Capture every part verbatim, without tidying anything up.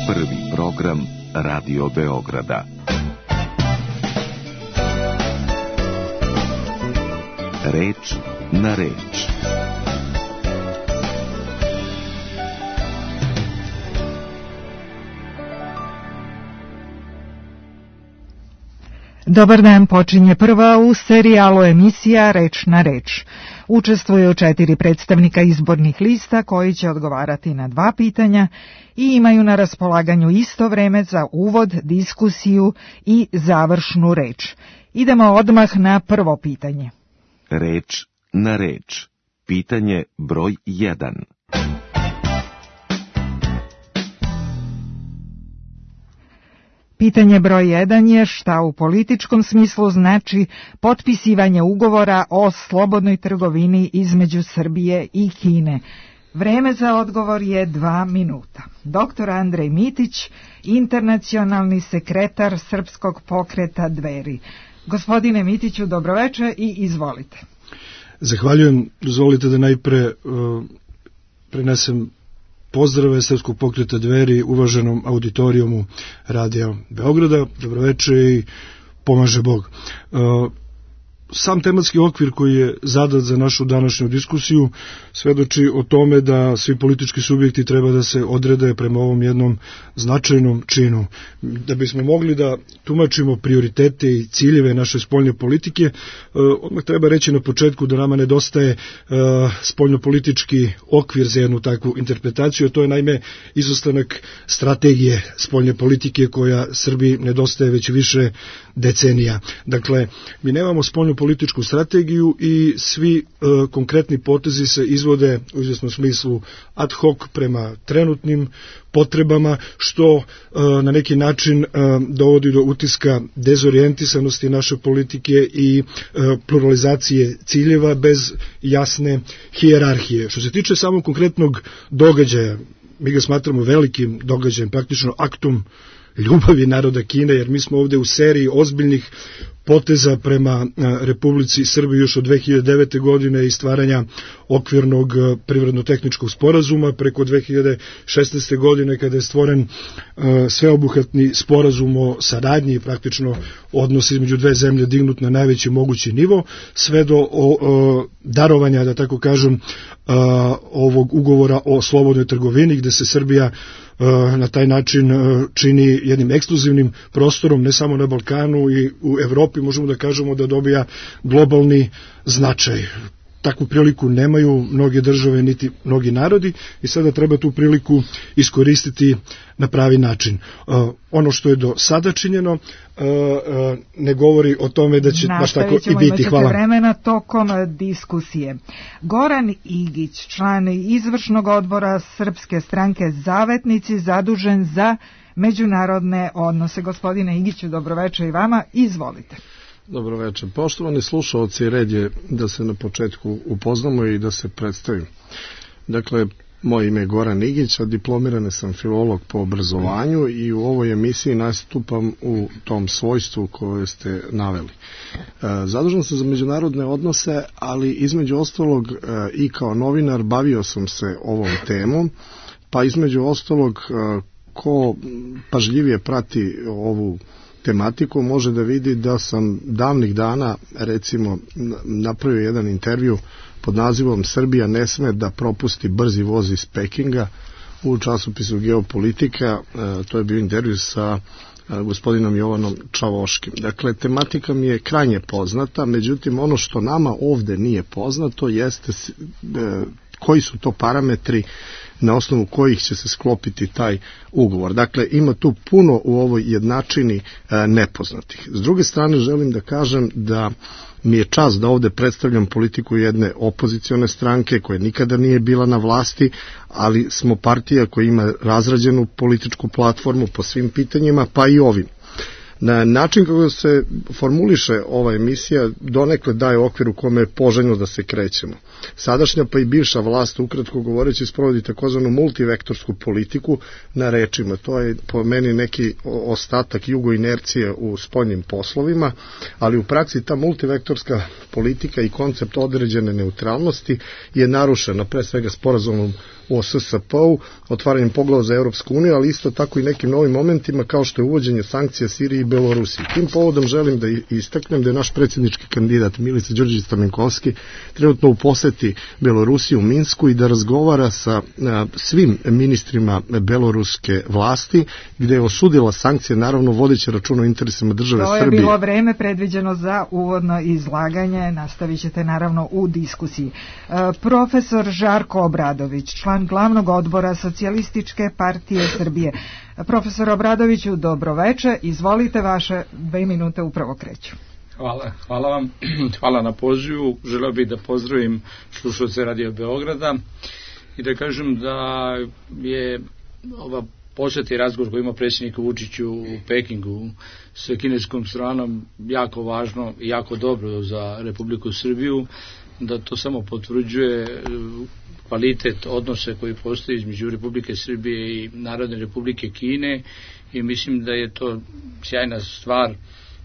Prvi program Radio Beograda. Reč na reč. Dobar dan, počinje prva u serijalu emisija Reč na reč. Učestvuju četiri predstavnika izbornih lista koji će odgovarati na dva pitanja i imaju na raspolaganju isto vreme za uvod, diskusiju i završnu reč. Idemo odmah na prvo pitanje. Reč na reč. Pitanje broj jedan. Pitanje broj jedan je šta u političkom smislu znači potpisivanje ugovora o slobodnoj trgovini između Srbije i Kine. Vreme za odgovor je dva minuta. Doktor Andrej Mitić, internacionalni sekretar Srpskog pokreta Dveri. Gospodine Mitiću, dobroveče i izvolite. Zahvaljujem. Dozvolite da najpre uh, prenesem pozdrave Srpskog pokreta Dveri uvaženom auditorijumu Radija Beograda. Dobroveče i pomaže Bog. Uh, Sam tematski okvir koji je zadat za našu današnju diskusiju svedoči o tome da svi politički subjekti treba da se odrede prema ovom jednom značajnom činu. Da bismo mogli da tumačimo prioritete i ciljeve naše spoljne politike, odmah treba reći na početku da nama nedostaje spoljnopolitički okvir za jednu takvu interpretaciju, a to je naime izostanak strategije spoljne politike koja Srbiji nedostaje već više decenija. Dakle, mi nemamo spoljnu političku strategiju i svi e, konkretni potezi se izvode u izvesnom smislu ad hoc prema trenutnim potrebama, što e, na neki način e, dovodi do utiska dezorijentisanosti naše politike i e, pluralizacije ciljeva bez jasne hijerarhije. Što se tiče samog konkretnog događaja, mi ga smatramo velikim događajem, praktično aktom ljubavi naroda Kine, jer mi smo ovde u seriji ozbiljnih poteza prema Republici Srbiji još od dve hiljade devete. godine i stvaranja okvirnog privredno-tehničkog sporazuma preko dve hiljade šesnaeste. godine kada je stvoren sveobuhvatni sporazum o saradnji i praktično odnos između dve zemlje dignut na najveći mogući nivo, sve do o, o, darovanja, da tako kažem, a, ovog ugovora o slobodnoj trgovini gde se Srbija na taj način čini jednim ekskluzivnim prostorom ne samo na Balkanu i u Evropi, možemo da kažemo da dobija globalni značaj. Takvu priliku nemaju mnoge države niti mnogi narodi i sada treba tu priliku iskoristiti na pravi način. Uh, ono što je do sada činjeno uh, uh, ne govori o tome da će baš tako i biti. Hvala. Vremena tokom diskusije. Goran Igić, član izvršnog odbora Srpske stranke Zavetnici, zadužen za međunarodne odnose. Gospodine Igiću, dobroveče i vama, izvolite. Dobro večer. Poštovani slušalci, red je da se na početku upoznamo i da se predstavim. Dakle, moje ime je Goran Igić, a diplomirani sam filolog po obrazovanju i u ovoj emisiji nastupam u tom svojstvu koje ste naveli. Zadužen sam za međunarodne odnose, ali između ostalog i kao novinar bavio sam se ovom temom, pa između ostalog ko pažljivije prati ovu tematiku može da vidi da sam davnih dana recimo napravio jedan intervju pod nazivom Srbija ne sme da propusti brzi voz iz Pekinga u časopisu Geopolitika. To je bio intervju sa gospodinom Jovanom Čavoškim. Dakle, tematika mi je krajnje poznata, međutim ono što nama ovde nije poznato jeste koji su to parametri na osnovu kojih će se sklopiti taj ugovor. Dakle, ima tu puno u ovoj jednačini e, nepoznatih. S druge strane, želim da kažem da mi je čast da ovde predstavljam politiku jedne opozicione stranke koja nikada nije bila na vlasti, ali smo partija koja ima razrađenu političku platformu po svim pitanjima, pa i ovim. Na način kako se formuliše ova emisija donekle daje okvir u kome je poželjno da se krećemo. Sadašnja pa i bivša vlast, ukratko govoreći, sprovodi takozvanu multivektorsku politiku na rečima. To je po meni neki ostatak jugoinercije u spoljnim poslovima, ali u praksi ta multivektorska politika i koncept određene neutralnosti je narušena pre svega sporazumom o S S P-u, otvaranjem poglava za Europsku uniju, ali isto tako i nekim novim momentima kao što je uvođenje sankcija Siriji i Belorusiji. Tim povodom želim da istaknem da je naš predsjednički kandidat Milica Đurđević Stamenkovski trenutno u poseti Belorusiji u Minsku i da razgovara sa a, svim ministrima beloruske vlasti, gde je osudila sankcije, naravno vodeći računa o interesima države Srbije. To je bilo vreme predviđeno za uvodno izlaganje, nastavit ćete naravno u diskusiji. E, profesor Žarko Obradović, član glavnog odbora Socijalističke partije Srbije. Profesor Obradoviću, dobroveče, izvolite, vaše dve minute upravo kreću. Hvala, hvala vam, hvala na pozivu. Želeo bih da pozdravim slušalce Radio Beograda i da kažem da je ova posjeta i razgovor koji ima predsjednik Vučić u Pekingu sa kineskom stranom jako važno i jako dobro za Republiku Srbiju, da to samo potvrđuje kvalitet odnose koji postoji između Republike Srbije i Narodne Republike Kine i mislim da je to sjajna stvar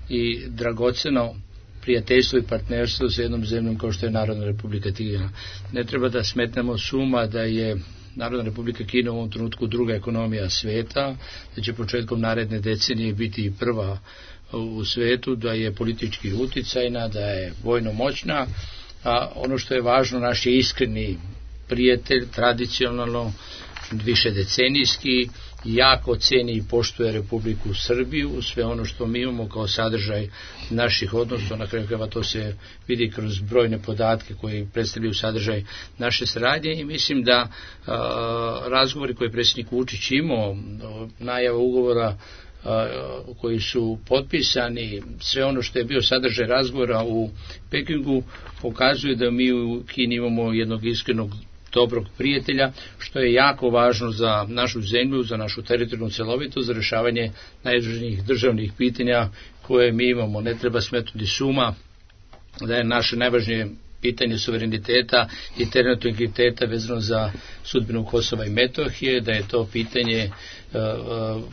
i dragoceno prijateljstvo i partnerstvo sa jednom zemljom kao što je Narodna Republika Kina. Ne treba da smetnemo suma da je Narodna Republika Kina u ovom trenutku druga ekonomija sveta, da će početkom naredne decenije biti prva u svetu, da je politički uticajna, da je vojno moćna, a ono što je važno, naš je iskreni prijatelj, tradicionalno, više decenijski, jako ceni i poštuje Republiku Srbiju, sve ono što mi imamo kao sadržaj naših odnosa, na kraju krajeva to se vidi kroz brojne podatke koji predstavljaju sadržaj naše saradnje i mislim da a, razgovori koje je predsjednik Vučić imao, najava ugovora koji su potpisani, sve ono što je bio sadržaj razgovora u Pekingu pokazuje da mi u Kini imamo jednog iskrenog dobrog prijatelja, što je jako važno za našu zemlju, za našu teritorijalnu celovitost, za rešavanje najvažnijih državnih pitanja koje mi imamo. Ne treba smetnuti suma da je naše najvažnije pitanje suvereniteta i teritorijalnog integriteta vezano za sudbinu Kosova i Metohije, da je to pitanje uh,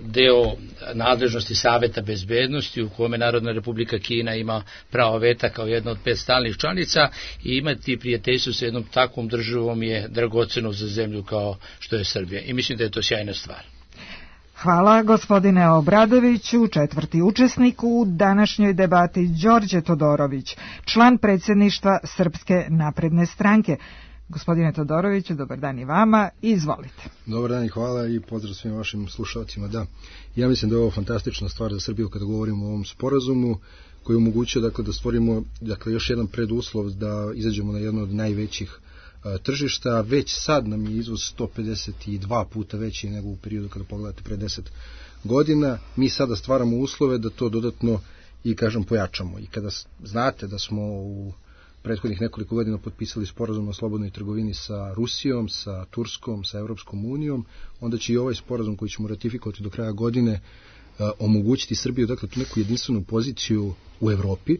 deo nadležnosti Saveta bezbednosti u kome Narodna Republika Kina ima pravo veta kao jedna od pet stalnih članica i imati prijateljstvo sa jednom takvom državom je dragoceno za zemlju kao što je Srbija i mislim da je to sjajna stvar. Hvala gospodine Obradoviću. Četvrti učesnik u današnjoj debati Đorđe Todorović, član predsjedništva Srpske napredne stranke. Gospodine Todoroviću, dobar dan i vama, izvolite. Dobar dan i hvala i pozdrav svim vašim slušalcima. Da, ja mislim da je ovo fantastična stvar za Srbiju kada govorimo o ovom sporazumu koji omogućuje dakle, da stvorimo dakle, još jedan preduslov da izađemo na jedno od najvećih a, tržišta. Već sad nam je izvoz sto pedeset dva puta veći nego u periodu kada pogledate pre deset godina. Mi sada stvaramo uslove da to dodatno i kažem pojačamo. I kada znate da smo u prethodnih nekoliko godina potpisali sporazum o slobodnoj trgovini sa Rusijom, sa Turskom, sa Europskom unijom, onda će i ovaj sporazum koji ćemo ratifikovati do kraja godine a, omogućiti Srbiju, dakle, tu neku jedinstvenu poziciju u Evropi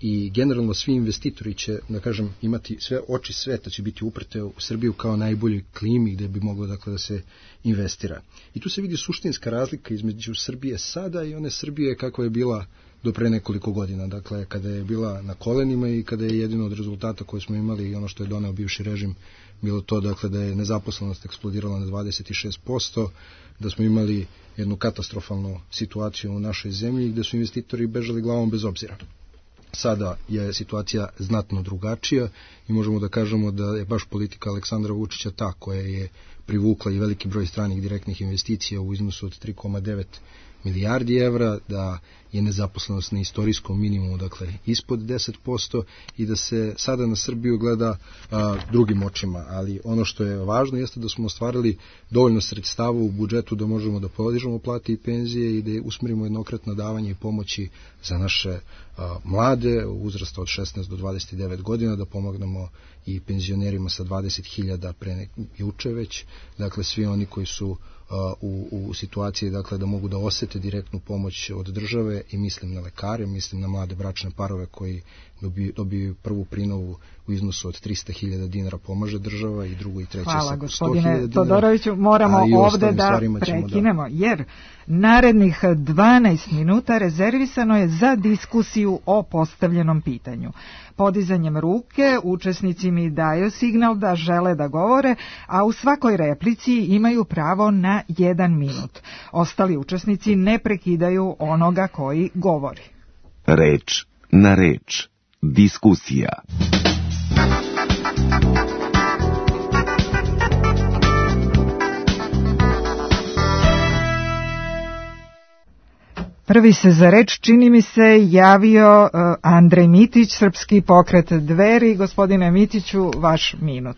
i generalno svi investitori će, da kažem, imati sve oči sveta će biti uprte u Srbiju kao najboljoj klimi gde bi moglo, dakle, da se investira. I tu se vidi suštinska razlika između Srbije sada i one Srbije kakva je bila do pre nekoliko godina, dakle, kada je bila na kolenima i kada je jedino od rezultata koje smo imali i ono što je doneo bivši režim bilo to, dakle, da je nezaposlenost eksplodirala na dvadeset šest posto, da smo imali jednu katastrofalnu situaciju u našoj zemlji gde su investitori bežali glavom bez obzira. Sada je situacija znatno drugačija i možemo da kažemo da je baš politika Aleksandra Vučića ta koja je privukla i veliki broj stranih direktnih investicija u iznosu od tri zarez devet milijardi evra, da je nezaposlenost na istorijskom minimumu, dakle ispod deset posto i da se sada na Srbiju gleda a, drugim očima, ali ono što je važno jeste da smo ostvarili dovoljno sredstava u budžetu da možemo da podižemo plate i penzije i da usmerimo jednokratna davanja i pomoći za naše a, mlade uzrasta od šesnaest do dvadeset devet godina, da pomognemo i penzionerima sa dvadeset hiljada pre nek, juče već, dakle svi oni koji su u, u situaciji dakle, da mogu da osete direktnu pomoć od države i mislim na lekare, mislim na mlade bračne parove koji dobiju, dobiju prvu prinovu u iznosu od trista hiljada dinara pomaže država i drugo i treće Hvala, sa sto hiljada gospodine dinara. Todoroviću, moramo ovde da prekinemo, da. jer narednih dvanaest minuta rezervisano je za diskusiju o postavljenom pitanju. Podizanjem ruke učesnici mi daju signal da žele da govore, a u svakoj replici imaju pravo na jedan minut. Ostali učesnici ne prekidaju onoga koji govori. Reč na reč. Diskusija. Prvi se za reč, čini mi se, javio uh, Andrej Mitić, Srpski pokret Dveri. Gospodine Mitiću, vaš minut.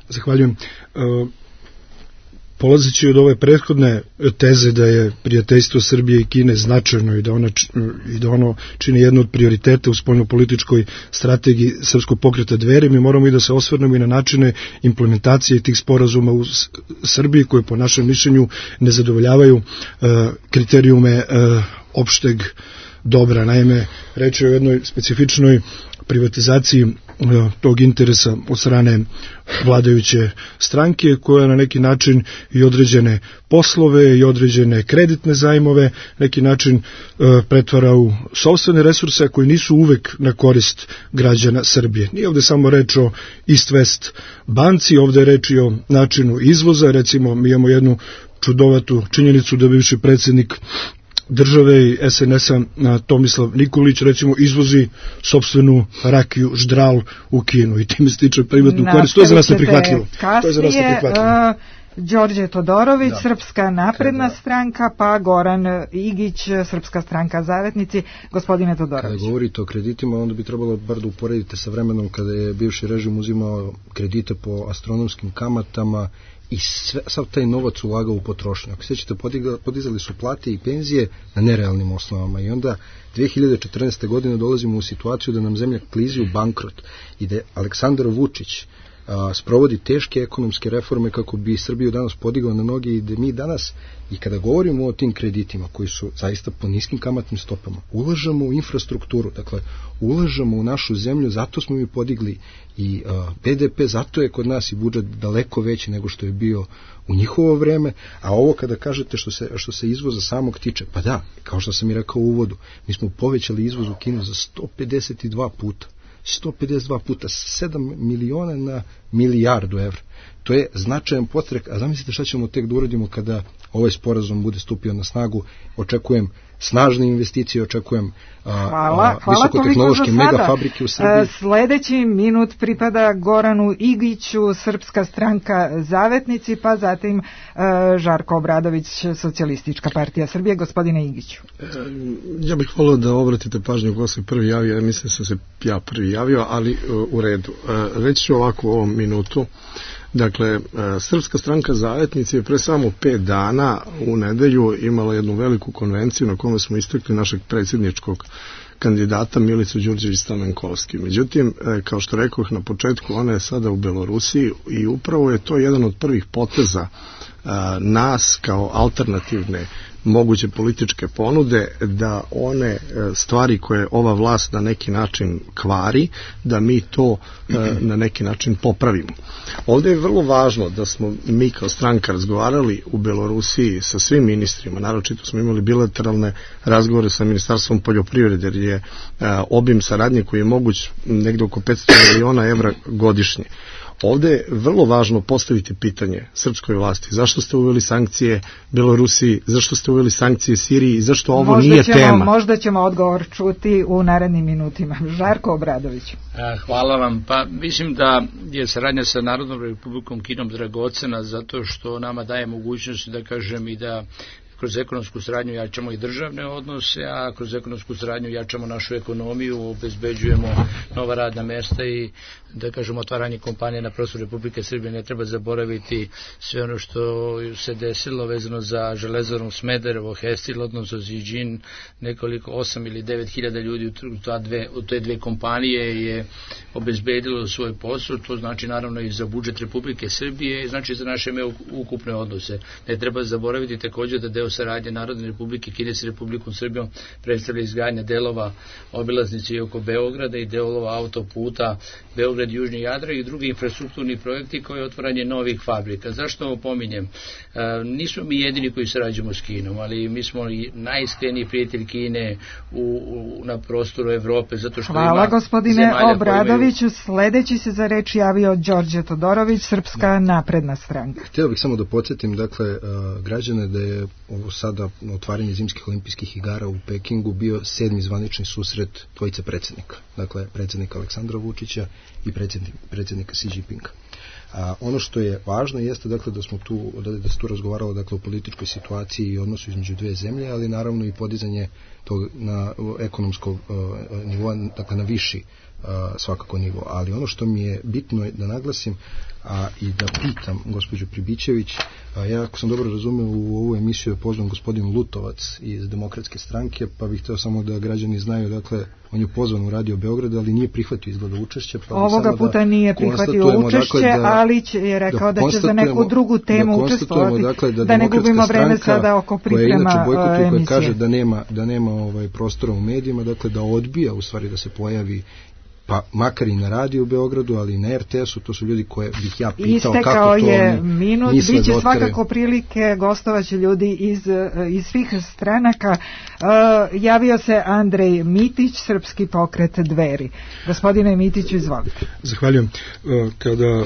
Zahvaljujem. Uh, Polazeći od ove prethodne teze da je prijateljstvo Srbije i Kine značajno i da, ona, i da ono čini jedno od prioriteta u spoljnopolitičkoj strategiji Srpskog pokreta Dveri, mi moramo i da se osvrnemo i na načine implementacije tih sporazuma u Srbiji koje po našem mišljenju ne zadovoljavaju uh, kriterijume uh, opšteg dobra. Naime, reč je o jednoj specifičnoj privatizaciji tog interesa od strane vladajuće stranke koja na neki način i određene poslove i određene kreditne zajmove neki način e, pretvara u sopstvene resurse koji nisu uvek na korist građana Srbije. Nije ovde samo reč o East West banci, ovde je reč i o načinu izvoza. Recimo, mi imamo jednu čudovatu činjenicu da bivši predsjednik države i es en es-a Tomislav Nikolić recimo izvozi sopstvenu rakiju Ždral u Kinu i time stiče privatnu korist. To je za nas neprihvatljivo. To je za nas neprihvatljivo. Đorđe Todorović, da. Srpska napredna kada, stranka, pa Goran Igić, Srpska stranka Zavetnici. Gospodine Todorović. Kada govorite o kreditima, onda bi trebalo bar da uporedite sa vremenom kada je bivši režim uzimao kredite po astronomskim kamatama i sve, sav taj novac ulagao u potrošnju. Ako sećate, podizali su plate i penzije na nerealnim osnovama i onda dve hiljade četrnaeste. godine dolazimo u situaciju da nam zemlja klizi u bankrot i da Aleksandar Vučić a, sprovodi teške ekonomske reforme kako bi Srbiju danas podigao na noge i da mi danas, i kada govorimo o tim kreditima koji su zaista po niskim kamatnim stopama, ulažemo u infrastrukturu, dakle ulažemo u našu zemlju, zato smo mi podigli i a, be de pe, zato je kod nas i budžet daleko veći nego što je bio u njihovo vreme, a ovo kada kažete što se, što se izvoza samog tiče, pa da, kao što sam i rekao u uvodu, mi smo povećali izvoz u Kinu za sto pedeset dva puta. sto pedeset dva puta, sedam miliona na milijardu evra. To je značajan potrek, a zamislite šta ćemo tek da uradimo kada ovaj sporazum bude stupio na snagu. Očekujem snažne investicije, očekujem a, hvala, a, visokotehnološke megafabrike u Srbiji. Sledeći minut pripada Goranu Igiću, Srpska stranka Zavetnici, pa zatim a, Žarko Obradović, Socijalistička partija Srbije. Gospodine Igiću. Ja bih volio da obratite pažnju ko se prvi javio, ja mislim da sam se ja prvi javio, ali u redu. Reći ću ovako u ovom minutu. Dakle, Srpska stranka Zavetnici je pre samo pet dana u nedelju imala jednu veliku konvenciju na kome smo istakli našeg predsjedničkog kandidata Milicu Đurđević-Stamenkovski. Međutim, kao što rekoh na početku, ona je sada u Belorusiji i upravo je to jedan od prvih poteza nas kao alternativne moguće političke ponude da one stvari koje ova vlast na neki način kvari, da mi to na neki način popravimo. Ovdje je vrlo važno da smo mi kao stranka razgovarali u Belorusiji sa svim ministrima, naročito smo imali bilateralne razgovore sa Ministarstvom poljoprivrede, jer je obim saradnje koji je moguć negde oko petsto miliona evra godišnje. Ovdje je vrlo važno postaviti pitanje srpskoj vlasti. Zašto ste uveli sankcije Belorusiji, zašto ste uveli sankcije Siriji i zašto ovo možda nije ćemo, tema? Možda ćemo odgovor čuti u narednim minutima. Žarko Obradović. Hvala vam. Pa mislim da je saradnja sa Narodnom republikom Kinom dragocena zato što nama daje mogućnost, da kažem, i da kroz ekonomsku saradnju jačamo i državne odnose, a kroz ekonomsku saradnju jačamo našu ekonomiju, obezbeđujemo nova radna mesta i, da kažemo, otvaranje kompanije na prostoru Republike Srbije. Ne treba zaboraviti sve ono što se desilo vezano za Železaru Smederevo, Hestil, odnosno Ziđin, nekoliko osam ili devet hiljada ljudi u, ta dve, u te dve kompanije je obezbedilo svoj posao. To znači naravno i za budžet Republike Srbije i znači za naše ukupne odnose. Ne treba zaboraviti također da deo saradnje Narodne Republike Kine sa Republikom Srbijom predstavlja izgradnja delova obilaznice i oko Beograda i delova autoputa Beograd Južni Jadran i drugi infrastrukturni projekti koji je otvaranje novih fabrika. Zašto ovo pominjem? E, nismo mi jedini koji sarađujemo s Kinom, ali mi smo i najiskreniji prijatelj Kine u, u, na prostoru Evrope, zato što Hvala, ima gospodine Obradoviću. Imaju... Sledeći se za reč javio Đorđe Todorović, Srpska da. napredna stranka. Htio bih samo da podsjetim, dakle, uh, građane da je ovo sada otvaranje zimskih olimpijskih igara u Pekingu bio sedmi zvanični susret dvojice predsjednika. Dakle, predsjednika Aleksandra Vučića i predsjednik, predsjednika Xi Jinpinga. A ono što je važno jeste, dakle, da smo tu da, da se tu razgovaralo, dakle, o političkoj situaciji i odnosu između dve zemlje, ali naravno i podizanje tog na ekonomskog uh, nivoa, dakle na viši uh, svakako nivo. Ali ono što mi je bitno je da naglasim a i da pitam gospođu Pribićević, a ja ako sam dobro razumeo u ovu emisiju je pozvan gospodin Lutovac iz Demokratske stranke, pa bih hteo samo da građani znaju, dakle, on je pozvan u Radio Beograd, ali nije prihvatio izgleda učešće. Pa ovoga puta da nije prihvatio učešće, dakle, da, ali će, je rekao da, da će za neku drugu temu da učestvovati, dakle, da, da ne gubimo vreme sada oko priprema emisije. Koja kaže da nema, da nema ovaj prostora u medijima, dakle da odbija u stvari da se pojavi, pa makar i na radiju u Beogradu, ali i na er te es-u, to su ljudi koje bih ja pitao Istekao kako to je oni minut, misle biće da svakako prilike, gostovaće ljudi iz, iz svih stranaka. Uh, javio se Andrej Mitić, Srpski pokret Dveri. Gospodine Mitiću, izvolite. Zahvaljujem. Uh, kada uh,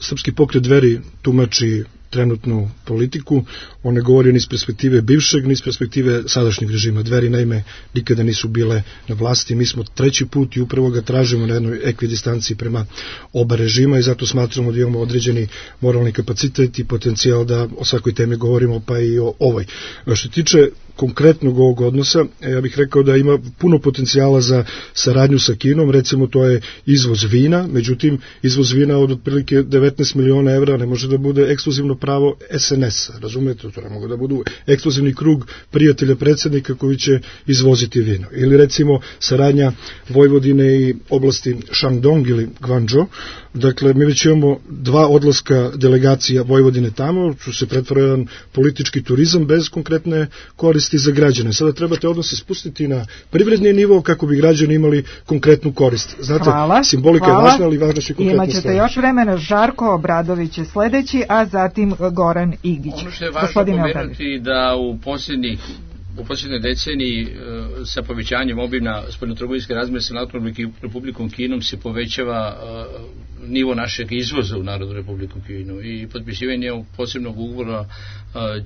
Srpski pokret Dveri tumači trenutnu politiku, on ne govori ni iz perspektive bivšeg, ni iz perspektive sadašnjeg režima. Dveri naime nikada nisu bile na vlasti, mi smo treći put i upravo ga tražimo na jednoj ekvidistanciji prema oba režima i zato smatramo da imamo određeni moralni kapacitet i potencijal da o svakoj temi govorimo, pa i o ovoj. Što tiče konkretnog ovog odnosa, ja bih rekao da ima puno potencijala za saradnju sa Kinom, recimo to je izvoz vina, međutim izvoz vina od otprilike devetnaest miliona evra ne može da bude ekskluzivno pravo es en es-a, razumete, to ne mogu da budu ekskluzivni krug prijatelja predsjednika koji će izvoziti vino. Ili recimo saradnja Vojvodine i oblasti Shandong ili Guangzhou, dakle mi već imamo dva odlaska delegacija Vojvodine tamo, što se pretvara jedan politički turizam bez konkretne koristi za građane. Sada trebate odnose spustiti na privredni nivo kako bi građani imali konkretnu korist. Znate, hvala, simbolika hvala. je važna, ali važna će konkretna Imaćete stvar. još vremena. Žarko Obradović je sledeći, a zatim Goran Igić. Ono što je važno pomenuti da u posljednjih u posljednjoj deceniji sa povećanjem obima spoljnotrgovinske razmjene sa Narodnom Republikom Kinom se povećava nivo našeg izvoza u Narodnu Republiku Kinu i potpisivanje ovog posebnog ugovora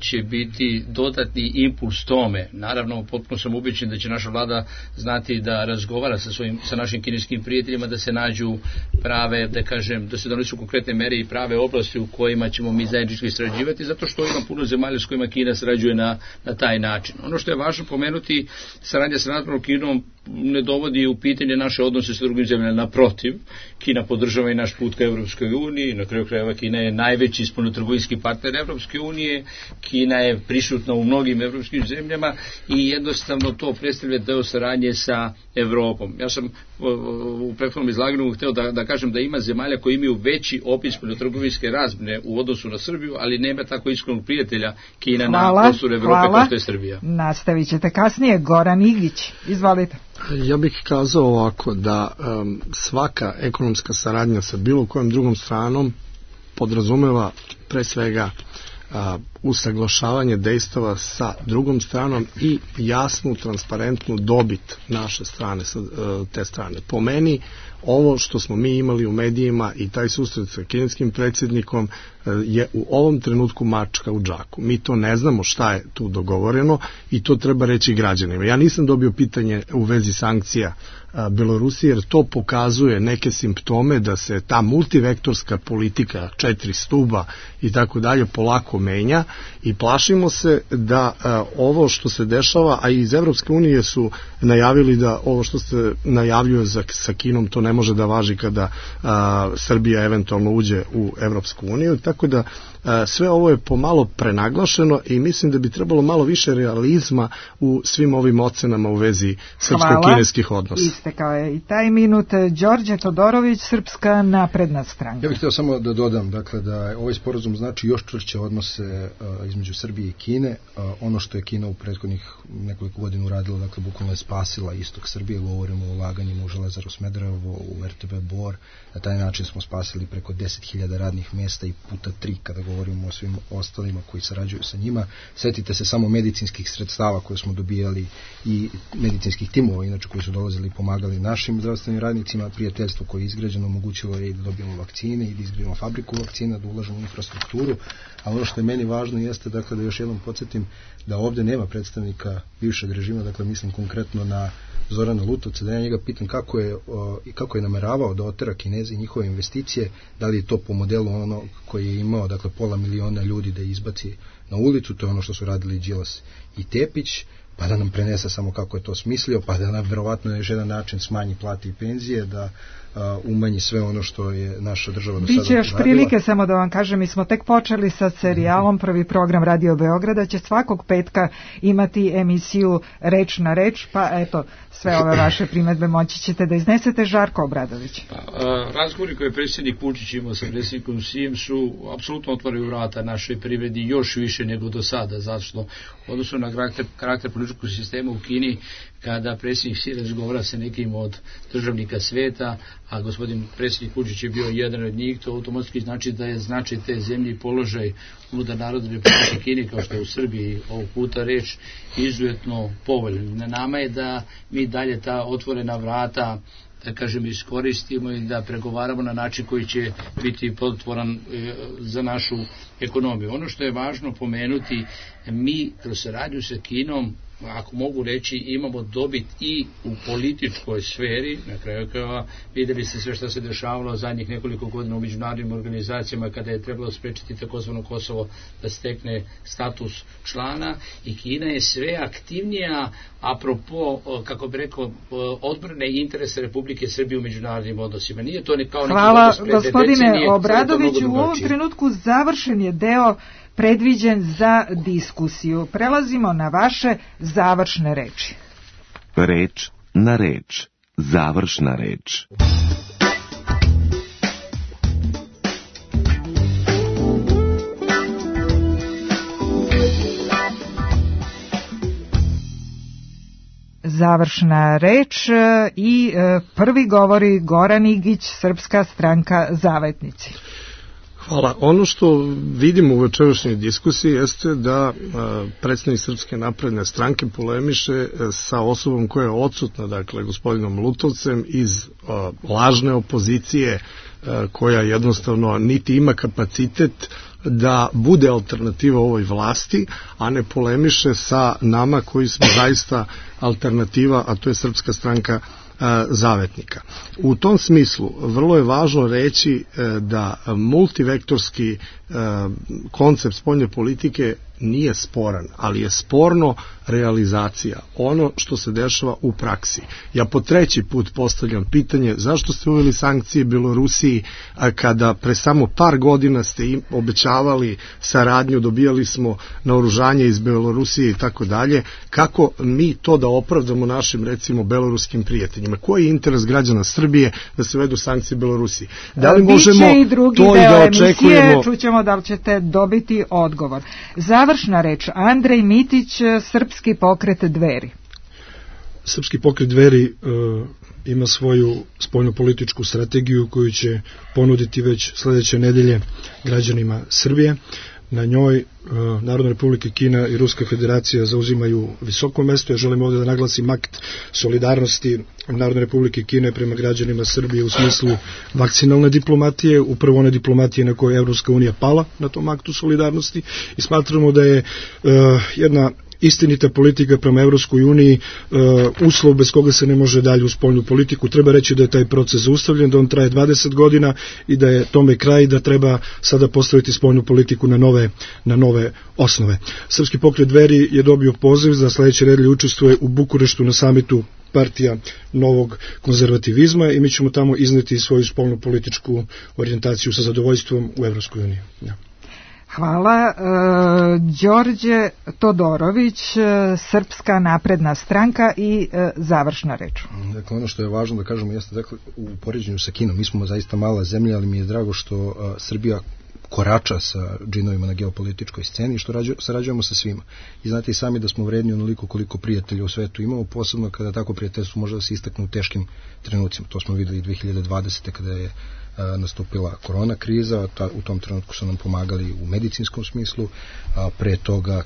će biti dodatni impuls tome. Naravno, potpuno sam ubeđen da će naša vlada znati da razgovara sa svojim, sa našim kineskim prijateljima, da se nađu prave, da kažem, da se donesu konkretne mere i prave oblasti u kojima ćemo mi zajednički sarađivati, zato što ima puno zemalja s kojima Kina sarađuje na, na taj način. Ono što je važno pomenuti, saradnja sa Narodnom Kinom ne dovodi u pitanje naše odnose sa drugim zemljama, naprotiv, Kina podržava i naš put ka Evropskoj uniji, na kraju krajeva Kina je najveći spoljnotrgovinski partner Evropske unije, Kina je prisutna u mnogim evropskim zemljama i jednostavno to predstavlja deo saradnje sa Evropom. Ja sam u prethodnom izlaganju hteo da, da kažem da ima zemalja koji imaju veći opis spoljnotrgovinske razmjene u odnosu na Srbiju, ali nema tako iskrenog prijatelja Kina hvala, na prostoru Evrope kao što je Srbija. Nastavit ćete kasnije. Goran Igić, izvolite. Ja bih kazao ovako da um, svaka ekonomska saradnja sa bilo kojom drugom stranom podrazumeva pre svega a, usaglašavanje dejstava sa drugom stranom i jasnu, transparentnu dobit naše strane, sa te strane. Po meni, ovo što smo mi imali u medijima i taj susret sa kineskim predsjednikom je u ovom trenutku mačka u džaku. Mi to ne znamo šta je tu dogovoreno i to treba reći građanima. Ja nisam dobio pitanje u vezi sankcija Belorusije, jer to pokazuje neke simptome da se ta multivektorska politika, četiri stuba i tako dalje, polako menja i plašimo se da ovo što se dešava, a iz Evropske unije su najavili da ovo što se najavljuje za, sa Kinom, to ne može da važi kada a, Srbija eventualno uđe u Evropsku uniju, tako da a, sve ovo je pomalo prenaglašeno i mislim da bi trebalo malo više realizma u svim ovim ocenama u vezi srpsko-kineskih odnosa. Hvala, istekao je i taj minut. Đorđe Todorović, Srpska napredna stranka. Ja bih htio samo da dodam, dakle, da ovaj sporazum znači još čvršće odnose uh, između Srbije i Kine. Uh, ono što je Kina u prethodnih nekoliko godina uradila, dakle, bukvalno je spasila istok Srbije, govorimo o ulaganjima u Železaru Smederevo, u R T B Bor. Na taj način smo spasili preko deset hiljada radnih mjesta i puta tri kada govorimo o svim ostalima koji sarađuju sa njima. Setite se samo medicinskih sredstava koje smo dobijali i medicinskih timova, inače koji su dolazili i pomagali našim zdravstvenim radnicima. Prijateljstvo koje je izgrađeno omogućilo je i da dobijemo vakcine i da izgradimo fabriku vakcina, da ulažemo u infrastrukturu. A ono što je meni važno jeste, dakle, da još jednom podsjetim da ovdje nema predstavnika bivšeg režima, dakle mislim konkretno na Zorana Lutovca, da ja njega pitam kako je, o, kako je nameravao da otera Kinezi njihove investicije, da li je to po modelu ono koji je imao, dakle, pola miliona ljudi da izbaci na ulicu, to je ono što su radili Đilas i Tepić, pa da nam prenese samo kako je to smislio, pa da nam verovatno na još jedan način smanji plate i penzije, da uh, umanji sve ono što je naša država do sada Biće još radila. Prilike, samo da vam kažem, mi smo tek počeli sa serijalom, prvi program Radio Beograda će svakog petka imati emisiju Reč na reč, pa eto, sve ove vaše primedbe moći ćete da iznesete. Žarko Obradović. Pa, a, razgovori koje je predsjednik Vučić imao sa predsjednikom Sijem su apsolutno otvaraju vrata našoj privredi još više nego do sada, zato što odnosno na karakter, karakter političkog sistema u Kini, kada predsjednik Si razgovara sa nekim od državnika sveta, a gospodin predsjednik Vučić je bio jedan od njih, to automatski znači da je značaj te zemlje i položaj unutar Narodne Republike Kine, kao što je u Srbiji ovog puta reč, izuzetno povoljan. Na nama je da mi dalje ta otvorena vrata, da kažem, iskoristimo i da pregovaramo na način koji će biti plodotvoran e, za našu ekonomiju. Ono što je važno pomenuti, mi kroz saradnju sa Kinom, ako mogu reći, imamo dobit i u političkoj sferi. Na kraju krajeva vidjeli ste sve što se dešavalo zadnjih nekoliko godina u međunarodnim organizacijama kada je trebalo sprečiti takozvano Kosovo da stekne status člana, i Kina je sve aktivnija apropo, kako bi rekao, odbrane interesa Republike Srbije u međunarodnim odnosima. Nije to ne kao neki Hvala, odnos pred gospodine decenije, Obradoviću. U ovom trenutku završen je deo predviđen za diskusiju. Prelazimo na vaše završne reči. Reč na reč. Završna reč. Završna reč i prvi govori Goran Igić, Srpska stranka Zavetnici. Hvala. Ono što vidimo u večerašnjoj diskusiji jeste da predsjednik Srpske napredne stranke polemiše sa osobom koja je odsutna, dakle gospodinom Lutovcem iz lažne opozicije, koja jednostavno niti ima kapacitet da bude alternativa ovoj vlasti, a ne polemiše sa nama koji smo zaista alternativa, a to je Srpska stranka Zavetnika. U tom smislu vrlo je važno reći da multivektorski koncept spoljne politike nije sporan, ali je sporno realizacija, ono što se dešava u praksi. Ja po treći put postavljam pitanje zašto ste uveli sankcije Belorusiji kada pre samo par godina ste im obećavali saradnju, dobijali smo naoružanje iz Belorusije i tako dalje. Kako mi to da opravdamo našim, recimo, beloruskim prijateljima? Koji je interes građana Srbije da se vedu sankcije Belorusiji? Da li možemo to i da očekujemo? Čućemo da li ćete dobiti odgovor. Završna reč, Andrej Mitić, Srpski pokret Dveri. Srpski pokret Dveri uh, ima svoju spoljnopolitičku strategiju koju će ponuditi već sledeće nedelje građanima Srbije. Na njoj uh, Narodna Republika Kina i Ruska federacija zauzimaju visoko mesto. Ja želim ovdje da naglasim akt solidarnosti Narodne Republike Kine prema građanima Srbije u smislu vakcinalne diplomatije, upravo one diplomatije na kojoj je Evropska unija pala na tom aktu solidarnosti, i smatramo da je uh, jedna istinita politika prema Evropskoj uniji uslov bez koga se ne može dalje u spoljnu politiku. Treba reći da je taj proces zaustavljen, da on traje dvadeset godina i da je tome kraj i da treba sada postaviti spoljnu politiku na nove, na nove osnove. Srpski pokret Dveri je dobio poziv za sledeće nedelje učestvuje u Bukureštu na samitu partija novog konzervativizma i mi ćemo tamo izneti svoju spoljnu političku orijentaciju sa zadovoljstvom u Evropskoj uniji. Ja. Hvala. E, Đorđe Todorović, Srpska napredna stranka i e, završna reč. Dakle, ono što je važno da kažemo jeste, dakle, u poređenju sa Kinom, mi smo zaista mala zemlja, ali mi je drago što a, Srbija korača sa džinovima na geopolitičkoj sceni i što rađu, sarađujemo sa svima. I znate i sami da smo vredni onoliko koliko prijatelja u svetu imamo, posebno kada tako prijateljstvo može da se istakne u teškim trenucima. To smo videli i dve hiljade dvadesete kada je a, nastupila korona kriza, ta, u tom trenutku su nam pomagali u medicinskom smislu, a pre toga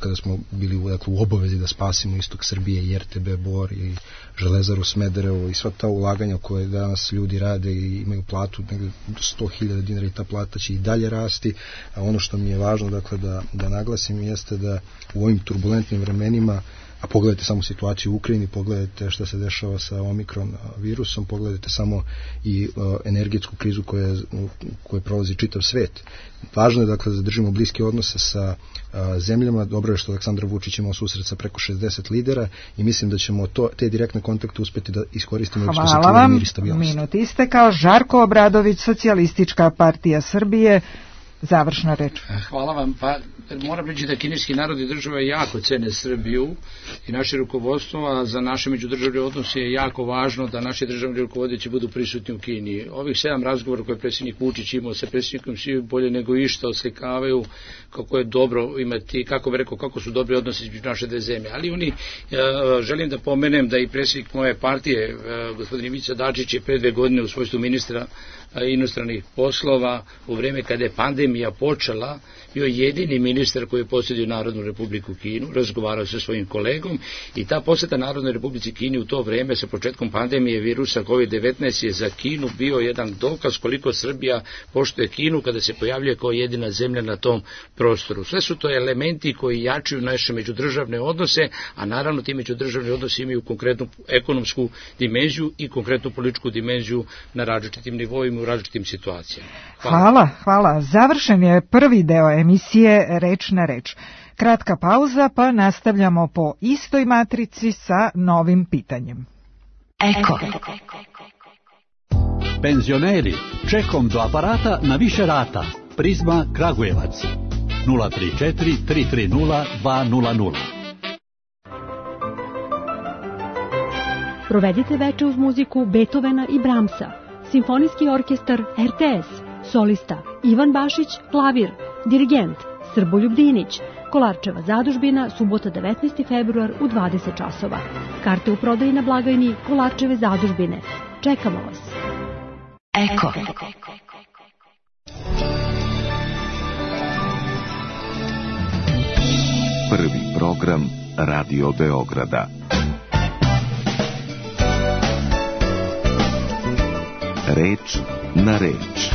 kada smo bili u, dakle, u obavezi da spasimo istok Srbije i er te be Bor i Železaru Smederevo i sva ta ulaganja koje danas ljudi rade i imaju platu negde sto hiljada dinara i ta plata će i dalje rasti, a ono što mi je važno dakle da, da naglasim jeste da u ovim turbulentnim vremenima, a pogledajte samo situaciju u Ukrajini, pogledajte šta se dešava sa Omikron virusom, pogledajte samo i uh, energetsku krizu koja, koja prolazi čitav svet. Važno je dakle da zadržimo bliske odnose sa uh, zemljama. Dobro je što Aleksandar Vučić imao susret sa preko šezdeset lidera i mislim da ćemo to, te direktne kontakte uspeti da iskoristimo. Hvala vam. Minut istekao. Žarko Obradović, Socijalistička partija Srbije. Završna reč. Hvala vam. Pa moram reći da kineski narod i država jako cene Srbiju i naše rukovodstvo, a za naše međudržavne odnose je jako važno da naši državni rukovodioci budu prisutni u Kini. Ovih sedam razgovora koje je predsjednik Vučić imao sa predsjednikom svi bolje nego išta oslikavaju kako je dobro imati, kako bih rekao, kako su dobri odnosi između naše dve zemlje. Ali oni, želim da pomenem da i predsjednik moje partije, gospodin Ivica Dačić, je pre dve godine u svojstvu ministra inostranih poslova u vreme kada je pandemija počela bio jedini ministar koji je posjetio Narodnu republiku Kinu, razgovarao sa svojim kolegom i ta posjeta Narodnoj republici Kini u to vreme sa početkom pandemije virusa kovid devetnaest je za Kinu bio jedan dokaz koliko Srbija poštuje Kinu kada se pojavljuje kao jedina zemlja na tom prostoru. Sve su to elementi koji jačaju naše međudržavne odnose, a naravno ti međudržavni odnosi imaju konkretnu ekonomsku dimenziju i konkretnu političku dimenziju na različitim nivoima u različitim situacijama. Hvala. Hvala, hvala. Završen je prvi deo emisije Reč na reč. Kratka pauza, pa nastavljamo po istoj matrici sa novim pitanjem. Eko. Penzioneri, čekom do aparata na više rata. Prizma Kragujevac. nula tri četiri tri tri nula dva nula nula. Provedite veče uz muziku Beethovena i Brahmsa. Simfonijski orkestar er te es, solista Ivan Bašić, klavir, dirigent Srboljub Dinić, Kolarčeva zadužbina, subota devetnaesti februar u dvadeset časova. Karte u prodaji na blagajni Kolarčeve zadužbine. Čekamo vas. Eko. Prvi program Radio Beograda. Reč na reč.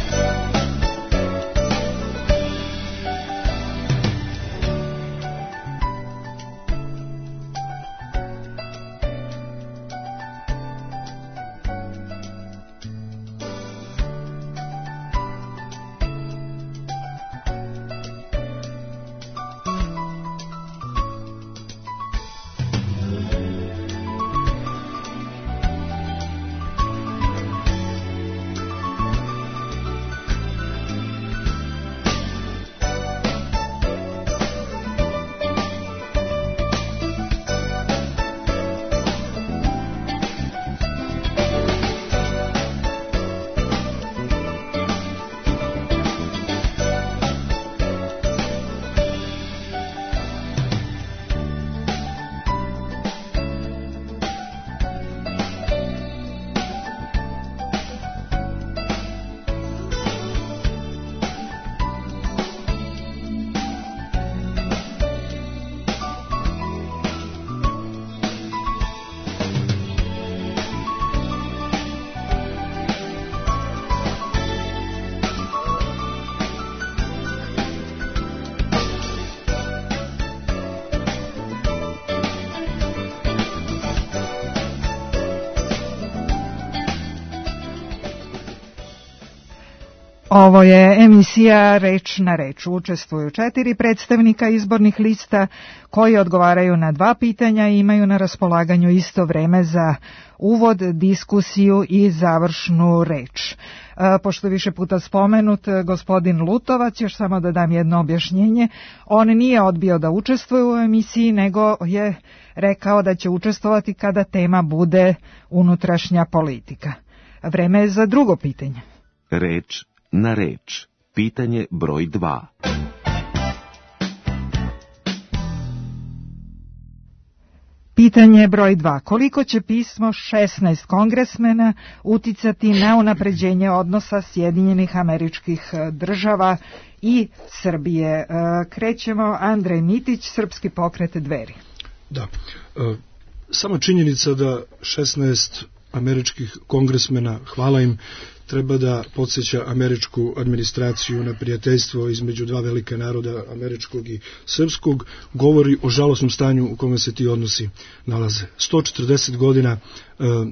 Ovo je emisija Reč na reč. Učestvuju četiri predstavnika izbornih lista koji odgovaraju na dva pitanja i imaju na raspolaganju isto vreme za uvod, diskusiju i završnu reč. Pošto je više puta spomenut gospodin Lutovac, još samo da dam jedno objašnjenje, on nije odbio da učestvuje u emisiji, nego je rekao da će učestvovati kada tema bude unutrašnja politika. Vreme je za drugo pitanje. Reč na reč. Pitanje broj dva. Pitanje broj dva. Koliko će pismo šesnaest kongresmena uticati na unapređenje odnosa Sjedinjenih Američkih Država i Srbije? Krećemo, Andrej Mitić, Srpski pokret Dveri. Da, sama činjenica da šesnaest američkih kongresmena, hvala im, treba da podsjeća američku administraciju na prijateljstvo između dva velika naroda, američkog i srpskog, govori o žalosnom stanju u kome se ti odnosi nalaze. sto četrdeset godina e,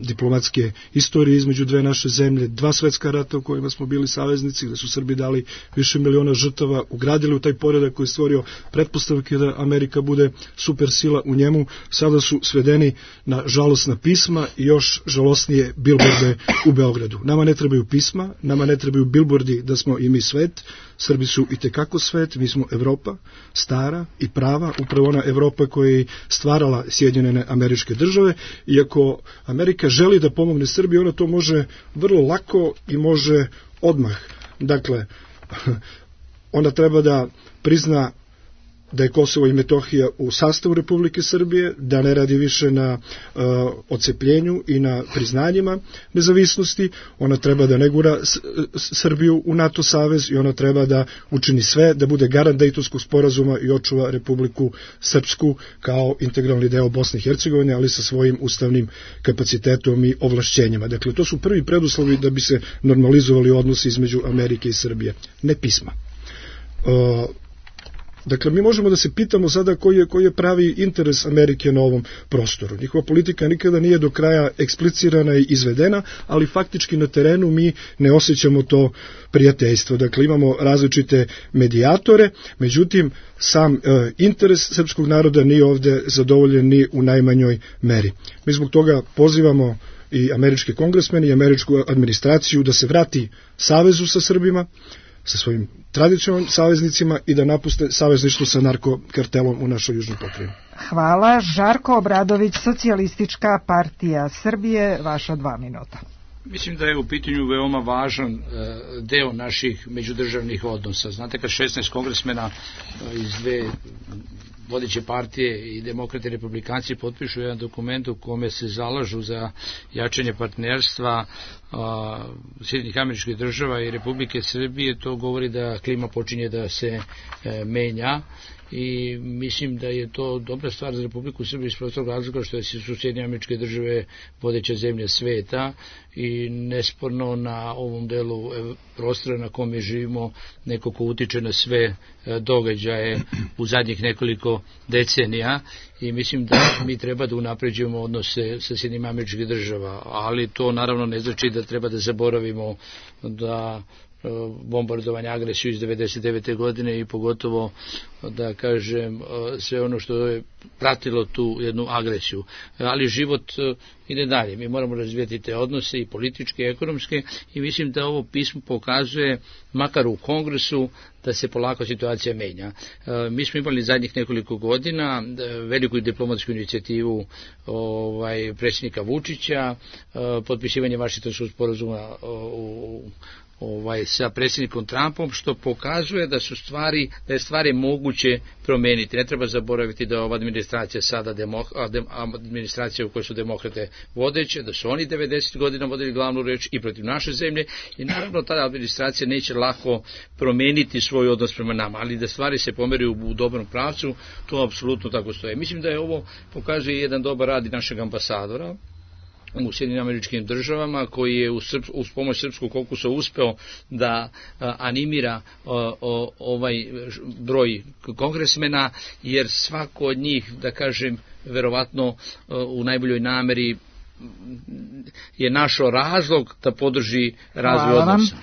diplomatske istorije između dve naše zemlje, dva svetska rata u kojima smo bili saveznici, gde su Srbi dali više miliona žrtava, ugradili u taj poredak koji je stvorio pretpostavke da Amerika bude supersila u njemu, sada su svedeni na žalosna pisma i još žalosnije bilborde u Beogradu. Nama ne trebaju pisma, nama ne trebaju bilbordi da smo i mi svet, Srbi su i tekako svet, mi smo Evropa, stara i prava, upravo ona Evropa koja je stvarala Sjedinjene Američke Države, i ako Amerika želi da pomogne Srbiji, ona to može vrlo lako i može odmah. Dakle, ona treba da prizna da je Kosovo i Metohija u sastavu Republike Srbije, da ne radi više na uh, odcepljenju i na priznanjima nezavisnosti, ona treba da ne gura S Srbiju u NATO savez i ona treba da učini sve da bude garant Dejtonskog sporazuma i očuva Republiku Srpsku kao integralni deo Bosne i Hercegovine, ali sa svojim ustavnim kapacitetom i ovlašćenjima. Dakle, to su prvi preduslovi da bi se normalizovali odnosi između Amerike i Srbije. Ne pisma. Uh, Dakle, mi možemo da se pitamo sada koji je, koji je pravi interes Amerike na ovom prostoru. Njihova politika nikada nije do kraja eksplicirana i izvedena, ali faktički na terenu mi ne osjećamo to prijateljstvo. Dakle, imamo različite medijatore, međutim, sam e, interes srpskog naroda nije ovde zadovoljen ni u najmanjoj meri. Mi zbog toga pozivamo i američke kongresmene i američku administraciju da se vrati savezu sa Srbima, sa svojim tradicionalnim saveznicima i da napuste savezništvo sa narkokartelom u našoj južnoj pokrajini. Hvala. Žarko Obradović, Socijalistička partija Srbije, vaša dva minuta. Mislim da je u pitanju veoma važan deo naših međudržavnih odnosa. Znate, kad šesnaest kongresmena iz dve vodeće partije i demokrati i republikanci potpišu jedan dokument u kome se zalažu za jačanje partnerstva Sjedinjenih Američkih Država i Republike Srbije, to govori da klima počinje da se e, menja i mislim da je to dobra stvar za Republiku Srbiju iz prostog razloga što su Sjedinjene Američke Države vodeća zemlja sveta i nesporno na ovom delu prostora na kome živimo neko ko utiče na sve događaje u zadnjih nekoliko decenija i mislim da mi treba da unapređujemo odnose sa Sjedinjenim Američkih Država, ali to naravno ne znači da treba da zaboravimo da bombardovanje, agresiju iz devedeset devete godine i pogotovo da kažem sve ono što je pratilo tu jednu agresiju. Ali život ide dalje. Mi moramo razvijati te odnose i političke i ekonomske i mislim da ovo pismo pokazuje, makar u Kongresu, da se polako situacija menja. Mi smo imali zadnjih nekoliko godina veliku diplomatsku inicijativu ovaj, predsjednika Vučića, potpisivanje Vašingtonskog sporazuma u ovaj sa predsjednikom Trumpom, što pokazuje da su stvari, da je stvari moguće promeniti. Ne treba zaboraviti da ova administracija sada demo, administracija u kojoj su demokrate vodeće, da su oni devedeset godina vodili glavnu reč i protiv naše zemlje i naravno ta administracija neće lako promeniti svoj odnos prema nama, ali da stvari se pomeraju u dobrom pravcu, to apsolutno tako stoje. Mislim da je ovo pokazuje jedan dobar rad i našeg ambasadora u Sjedinjenim Američkim Državama, koji je uz, srp, uz pomoć srpskog kokusa uspeo da a, animira a, o, ovaj broj kongresmena, jer svako od njih, da kažem, verovatno a, u najboljoj nameri je našao razlog da podrži razvoj odnosa.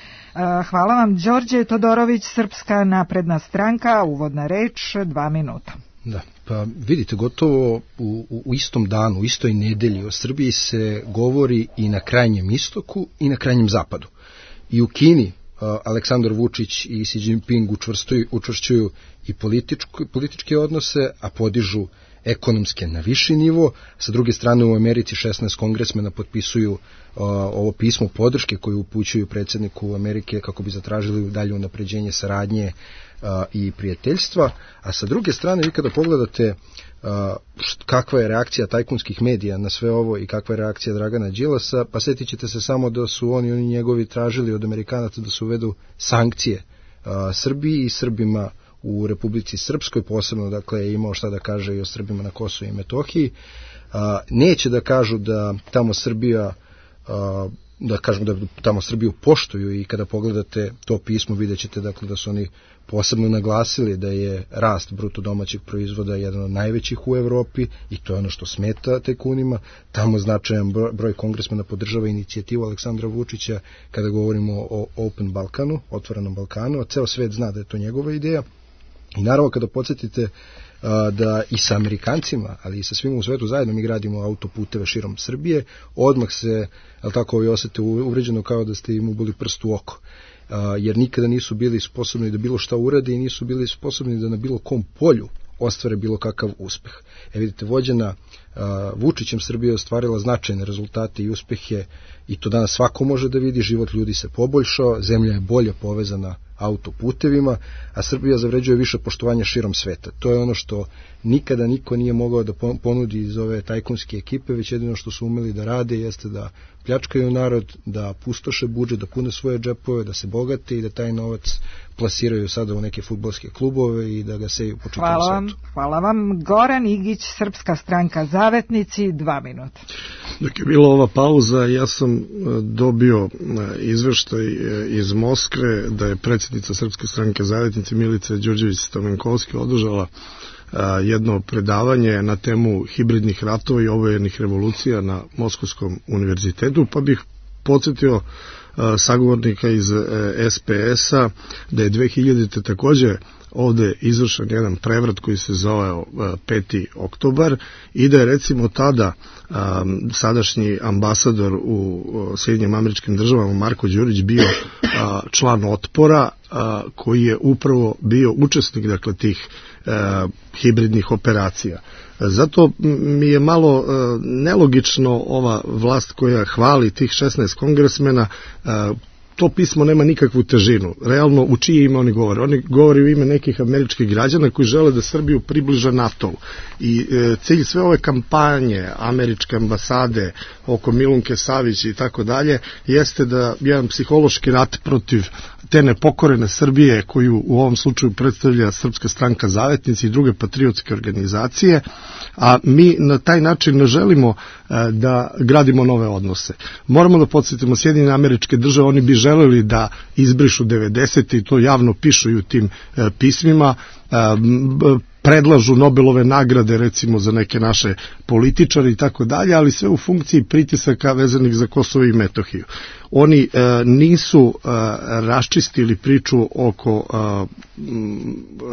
Hvala vam, Đorđe Todorović, Srpska napredna stranka, uvodna reč, dva minuta. Da, pa vidite, gotovo u, u, u istom danu, u istoj nedelji o Srbiji se govori i na krajnjem istoku i na krajnjem zapadu. I u Kini Aleksandar Vučić i Xi Jinping učvršćuju i političke odnose, a podižu ekonomske na viši nivo. Sa druge strane, u Americi šesnaest kongresmena potpisuju uh, ovo pismo podrške koju upućuju predsjedniku Amerike kako bi zatražili dalje unapređenje saradnje uh, i prijateljstva. A sa druge strane, vi kada pogledate uh, št, kakva je reakcija tajkunskih medija na sve ovo i kakva je reakcija Dragana Đilasa, pa sjetit ćete se samo da su oni, oni njegovi tražili od Amerikanaca da se uvedu sankcije uh, Srbiji i Srbima u Republici Srpskoj, posebno, dakle, je imao šta da kaže i o Srbima na Kosovu i Metohiji. A, neće da kažu da tamo Srbija, a, da kažemo da tamo Srbiju poštuju, i kada pogledate to pismo vidjet ćete, dakle, da su oni posebno naglasili da je rast bruto domaćeg proizvoda jedan od najvećih u Evropi, i to je ono što smeta tajkunima. Tamo značajan broj kongresmena podržava inicijativu Aleksandra Vučića kada govorimo o Open Balkanu, otvorenom Balkanu, a ceo svet zna da je to njegova ideja. I naravno, kada podsjetite a, da i sa Amerikancima, ali i sa svima u svetu zajedno mi gradimo autoputeve širom Srbije, odmah se, ali tako, vi osete uvređeno kao da ste im uboli prst u oko. A, jer nikada nisu bili sposobni da bilo šta urade i nisu bili sposobni da na bilo kom polju ostvare bilo kakav uspeh. E vidite, vođena a, Vučićem Srbija je ostvarila značajne rezultate i uspehe, i to danas svako može da vidi. Život ljudi se poboljšao, zemlja je bolje povezana autoputevima, a Srbija zavređuje više poštovanja širom sveta. To je ono što nikada niko nije mogao da ponudi iz ove tajkunske ekipe, već jedino što su umeli da rade jeste da pljačkaju narod, da pustoše budžet, da pune svoje džepove, da se bogate i da taj novac plasiraju sada u neke fudbalske klubove i da ga seju po čitavom hvala vam, svetu. Hvala vam. Goran Igić, Srpska stranka Zavetnici, dva minuta. Dok je bila ova pauza, ja sam dobio izveštaj iz Moskve da je predsjednica Srpske stranke Zavetnici Milica Đurđević-Stamenkovski održala jedno predavanje na temu hibridnih ratova i obojenih revolucija na Moskovskom univerzitetu, pa bih podsjetio sagovornika iz S P S-a da je dve hiljadite takođe ovde izvršen jedan prevrat koji se zove peti oktobar, i da je recimo tada um, sadašnji ambasador u Sjedinjenim Američkim Državama Marko Đurić bio uh, član Otpora, uh, koji je upravo bio učesnik, dakle, tih uh, hibridnih operacija. Zato mi je malo uh, nelogično ova vlast koja hvali tih šesnaest kongresmena. uh, To pismo nema nikakvu težinu. Realno, u čije ime oni govore? Oni govore u ime nekih američkih građana koji žele da Srbiju približa NATO-u. I e, cilj sve ove kampanje američke ambasade oko Milunke Savić i tako dalje jeste da jedan psihološki rat protiv te nepokorene Srbije, koju u ovom slučaju predstavlja Srpska stranka Zavetnici i druge patriotske organizacije, a mi na taj način ne želimo e, da gradimo nove odnose. Moramo da podsjetimo Sjedinjene Američke Države, oni bi želeli da izbrišu devedesete i to javno pišu i u tim e, pismima, e, predlažu Nobelove nagrade recimo za neke naše političare i tako dalje, ali sve u funkciji pritisaka vezanih za Kosovo i Metohiju. Oni e, nisu e, raščistili priču oko e,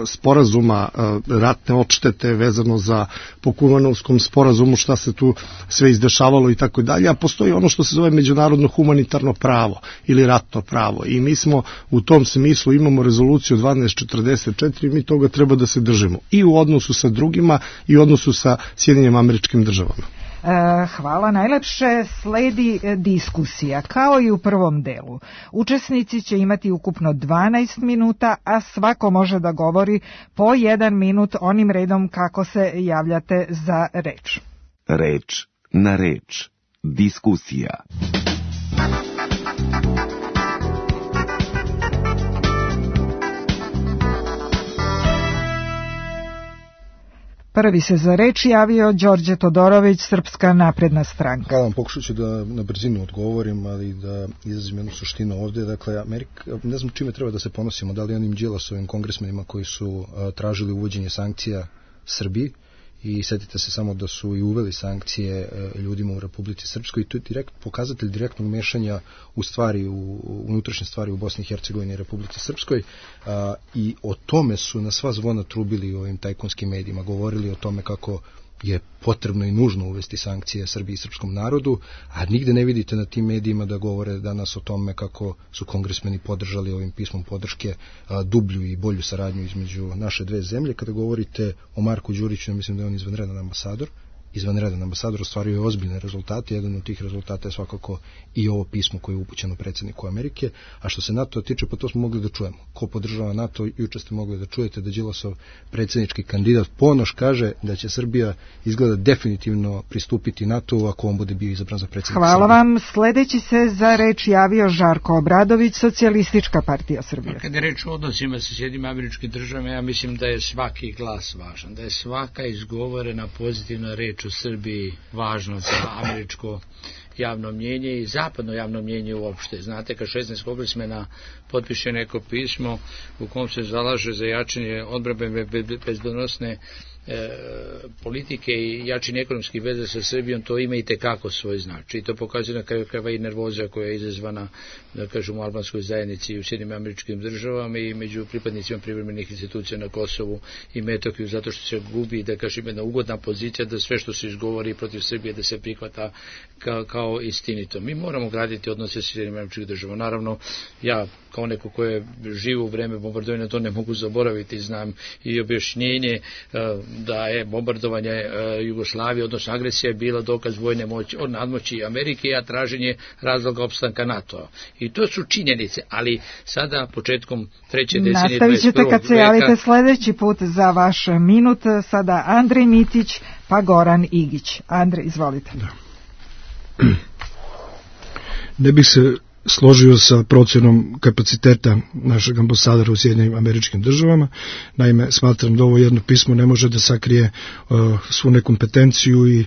sporazuma e, ratne odštete vezano za po Kumanovskom sporazumu, šta se tu sve izdešavalo i tako dalje, a postoji ono što se zove međunarodno humanitarno pravo ili ratno pravo, i mi smo u tom smislu, imamo rezoluciju dvanaest četrdeset četiri, mi toga treba da se držimo i u odnosu sa drugima i u odnosu sa Sjedinjenim Američkim Državama. Hvala najlepše. Sledi diskusija kao i u prvom delu. Učesnici će imati ukupno dvanaest minuta, a svako može da govori po jedan minut onim redom kako se javljate za reč. Reč na reč. Diskusija. Prvi se za reč javio Đorđe Todorović, Srpska napredna stranka. Hvala vam, pokušat ću da na brzinu odgovorim, ali da izrazim jednu suštinu ovdje. Dakle, Amerika, ne znam čime treba da se ponosimo, da li onim Đilasovim kongresmenima koji su a, tražili uvođenje sankcija Srbiji, i setite se samo da su i uveli sankcije ljudima u Republici Srpskoj i to je direkt, pokazatelj direktnog mešanja u stvari, u unutrašnje stvari u Bosni i Hercegovini i Republici Srpskoj a, i o tome su na sva zvona trubili u ovim tajkunskim medijima, govorili o tome kako je potrebno i nužno uvesti sankcije Srbiji i srpskom narodu, a nigde ne vidite na tim medijima da govore danas o tome kako su kongresmeni podržali ovim pismom podrške a, dublju i bolju saradnju između naše dve zemlje. Kada govorite o Marku Đuriću, ja mislim da je on izvanredan ambasador, izvanredan ambasador, ostvario je ozbiljne rezultate, jedan od tih rezultata je svakako i ovo pismo koje je upućeno predsjedniku Amerike, a što se NATO tiče, pa to smo mogli da čujemo. Ko podržava NATO, juče ste mogli da čujete da Đilasov predsjednički kandidat Ponoš kaže da će Srbija izgleda definitivno pristupiti NATO ako on bude bio izabran za predsjednika. Hvala Srbije. vam. Sledeći se za reč javio Žarko Obradović, Socijalistička partija Srbije. Kad je reč o odnosima sa Sjedinjenim Američkim Državama, ja mislim da je svaki glas važan, da je svaka izgovorena pozitivna reč u Srbiji važno za američko javno mnjenje i zapadno javno mnjenje uopšte. Znate, kad šesnaest kongresmena potpiše neko pismo u kom se zalaže za jačanje odbrambene bezbednosne E, politike i jačine ekonomskih veza sa Srbijom, to ima i tekako svoj značaj. I to pokazuje na kraju krajeva i nervoza koja je izazvana, da kažemo, u albanskoj zajednici i u Sjedinjenim Američkim Državama i među pripadnicima privremenih institucija na Kosovu i Metohiju, zato što se gubi, da kažem, jedna ugodna pozicija da sve što se izgovori protiv Srbije da se prihvata kao, kao istinito. Mi moramo graditi odnose sa Sjedinjenim Američkim Državama. Naravno, ja kao neko ko je živo u vreme bombardovanja to ne mogu zaboraviti, znam i objašnjenje da je bombardovanje Jugoslavije, odnosno agresija je bila dokaz vojne moći, od nadmoći Amerike, a traženje razloga opstanka NATO-a. I to su činjenice, ali sada početkom treće decenije nastavit ćete kad se javite veka... sledeći put za vaš minut. Sada Andrej Mitić pa Goran Igić. Andrej, izvolite. Da. Ne bih se složio sa procjenom kapaciteta našeg ambasadora u Sjedinjenim Američkim Državama. Naime, smatram da ovo jedno pismo ne može da sakrije uh, svu nekompetenciju i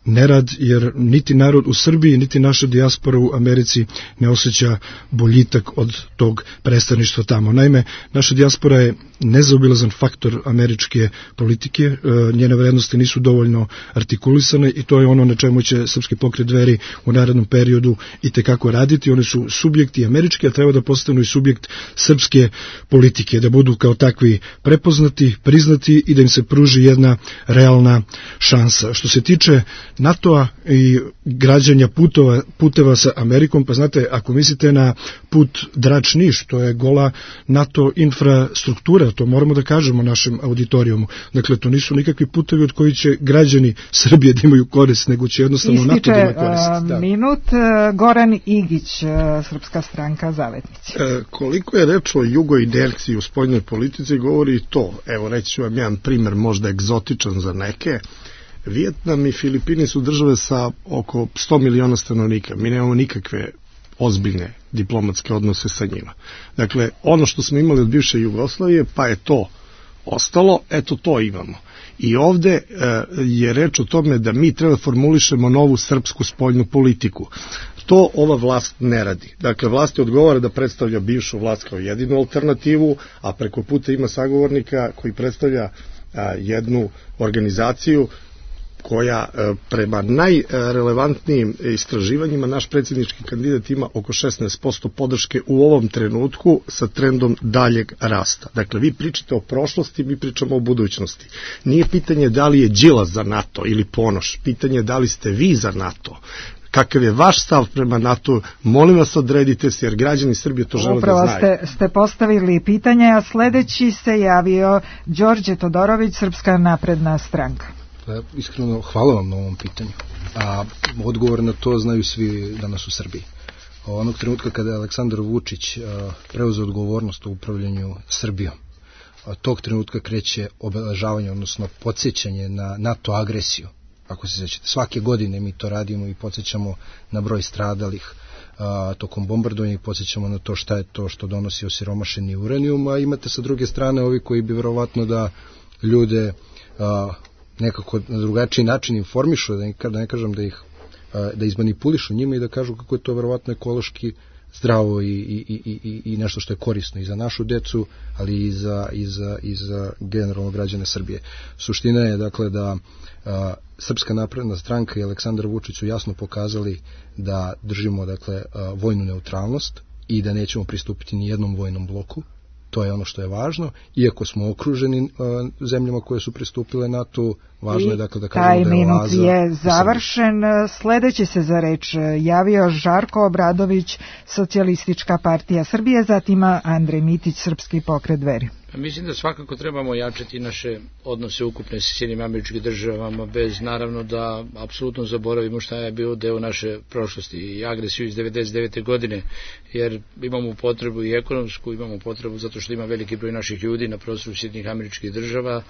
nerad, jer niti narod u Srbiji, niti naša dijaspora u Americi ne osjeća boljitak od tog predstavništva tamo. Naime, naša dijaspora je nezaobilazan faktor američke politike, njene vrednosti nisu dovoljno artikulisane i to je ono na čemu će Srpski pokret Dveri u narednom periodu i tekako raditi. Oni su subjekti američki, a treba da postanu i subjekt srpske politike, da budu kao takvi prepoznati, priznati i da im se pruži jedna realna šansa. Što se tiče NATO-a i građanja putova, puteva sa Amerikom, pa znate, ako mislite na put Drač-Niš, to je gola NATO infrastruktura, to moramo da kažemo našem auditorijumu. Dakle, to nisu nikakvi putevi od koji će građani Srbije da imaju korist, nego će jednostavno Ističe, NATO da ima korist. Da. Minut, Goran Igić, Srpska stranka Zavetnici. E, koliko je reč o jugoinerciji u spoljnoj politici, govori i to. Evo, reći ću vam jedan primer, možda egzotičan za neke. Vijetnam i Filipini su države sa oko sto miliona stanovnika. Mi nemamo nikakve ozbiljne diplomatske odnose sa njima. Dakle, ono što smo imali od bivše Jugoslavije, pa je to ostalo, eto to imamo. I ovde e, je reč o tome da mi treba formulišemo novu srpsku spoljnu politiku. To ova vlast ne radi. Dakle, vlasti odgovara da predstavlja bivšu vlast kao jedinu alternativu, a preko puta ima sagovornika koji predstavlja a, jednu organizaciju koja prema najrelevantnijim istraživanjima naš predsjednički kandidat ima oko šesnaest posto podrške u ovom trenutku sa trendom daljeg rasta. Dakle, vi pričate o prošlosti, mi pričamo o budućnosti. Nije pitanje da li je Đilas za NATO ili Ponoš, pitanje je da li ste vi za NATO. Kakav je vaš stav prema NATO, molim vas odredite se, jer građani Srbije to žele Upravo da znaju. Ste, ste postavili pitanje, a sledeći se javio Đorđe Todorović, Srpska napredna stranka. Iskreno, hvala vam na ovom pitanju. A odgovor na to znaju svi danas u Srbiji. Onog trenutka kada je Aleksandar Vučić preuzeo odgovornost u upravljanju Srbijom, tog trenutka kreće obeležavanje, odnosno podsjećanje na NATO agresiju. Ako se sećate, svake godine mi to radimo i podsjećamo na broj stradalih a, tokom bombardovanja i podsjećamo na to šta je to što donosi osiromašeni uranijum, a imate sa druge strane ovi koji bi verovatno da ljude a, nekako na drugačiji način informišu, da ne, da ne kažem da ih da izmanipulišu njima i da kažu kako je to verovatno ekološki zdravo i, i, i, i, i nešto što je korisno i za našu decu, ali i za, i za, i za generalno građane Srbije. Suština je dakle da a, Srpska napredna stranka i Aleksandar Vučić su jasno pokazali da držimo dakle a, vojnu neutralnost i da nećemo pristupiti ni jednom vojnom bloku. To je ono što je važno, iako smo okruženi uh, zemljama koje su pristupile NATO, važno je dakle da kažemo da je oaza. Taj minut je završen. Sledeći se za reč javio Žarko Obradović, Socijalistička partija Srbije, zatim Andrej Mitić, Srpski pokret Dveri. Mislim da svakako trebamo jačati naše odnose ukupne sa Sjedinjenim Američkim Državama, bez naravno da apsolutno zaboravimo šta je bio deo naše prošlosti i agresiju iz devedeset devete godine, jer imamo potrebu i ekonomsku, imamo potrebu zato što ima veliki broj naših ljudi na prostoru Sjedinjenih Američkih Država,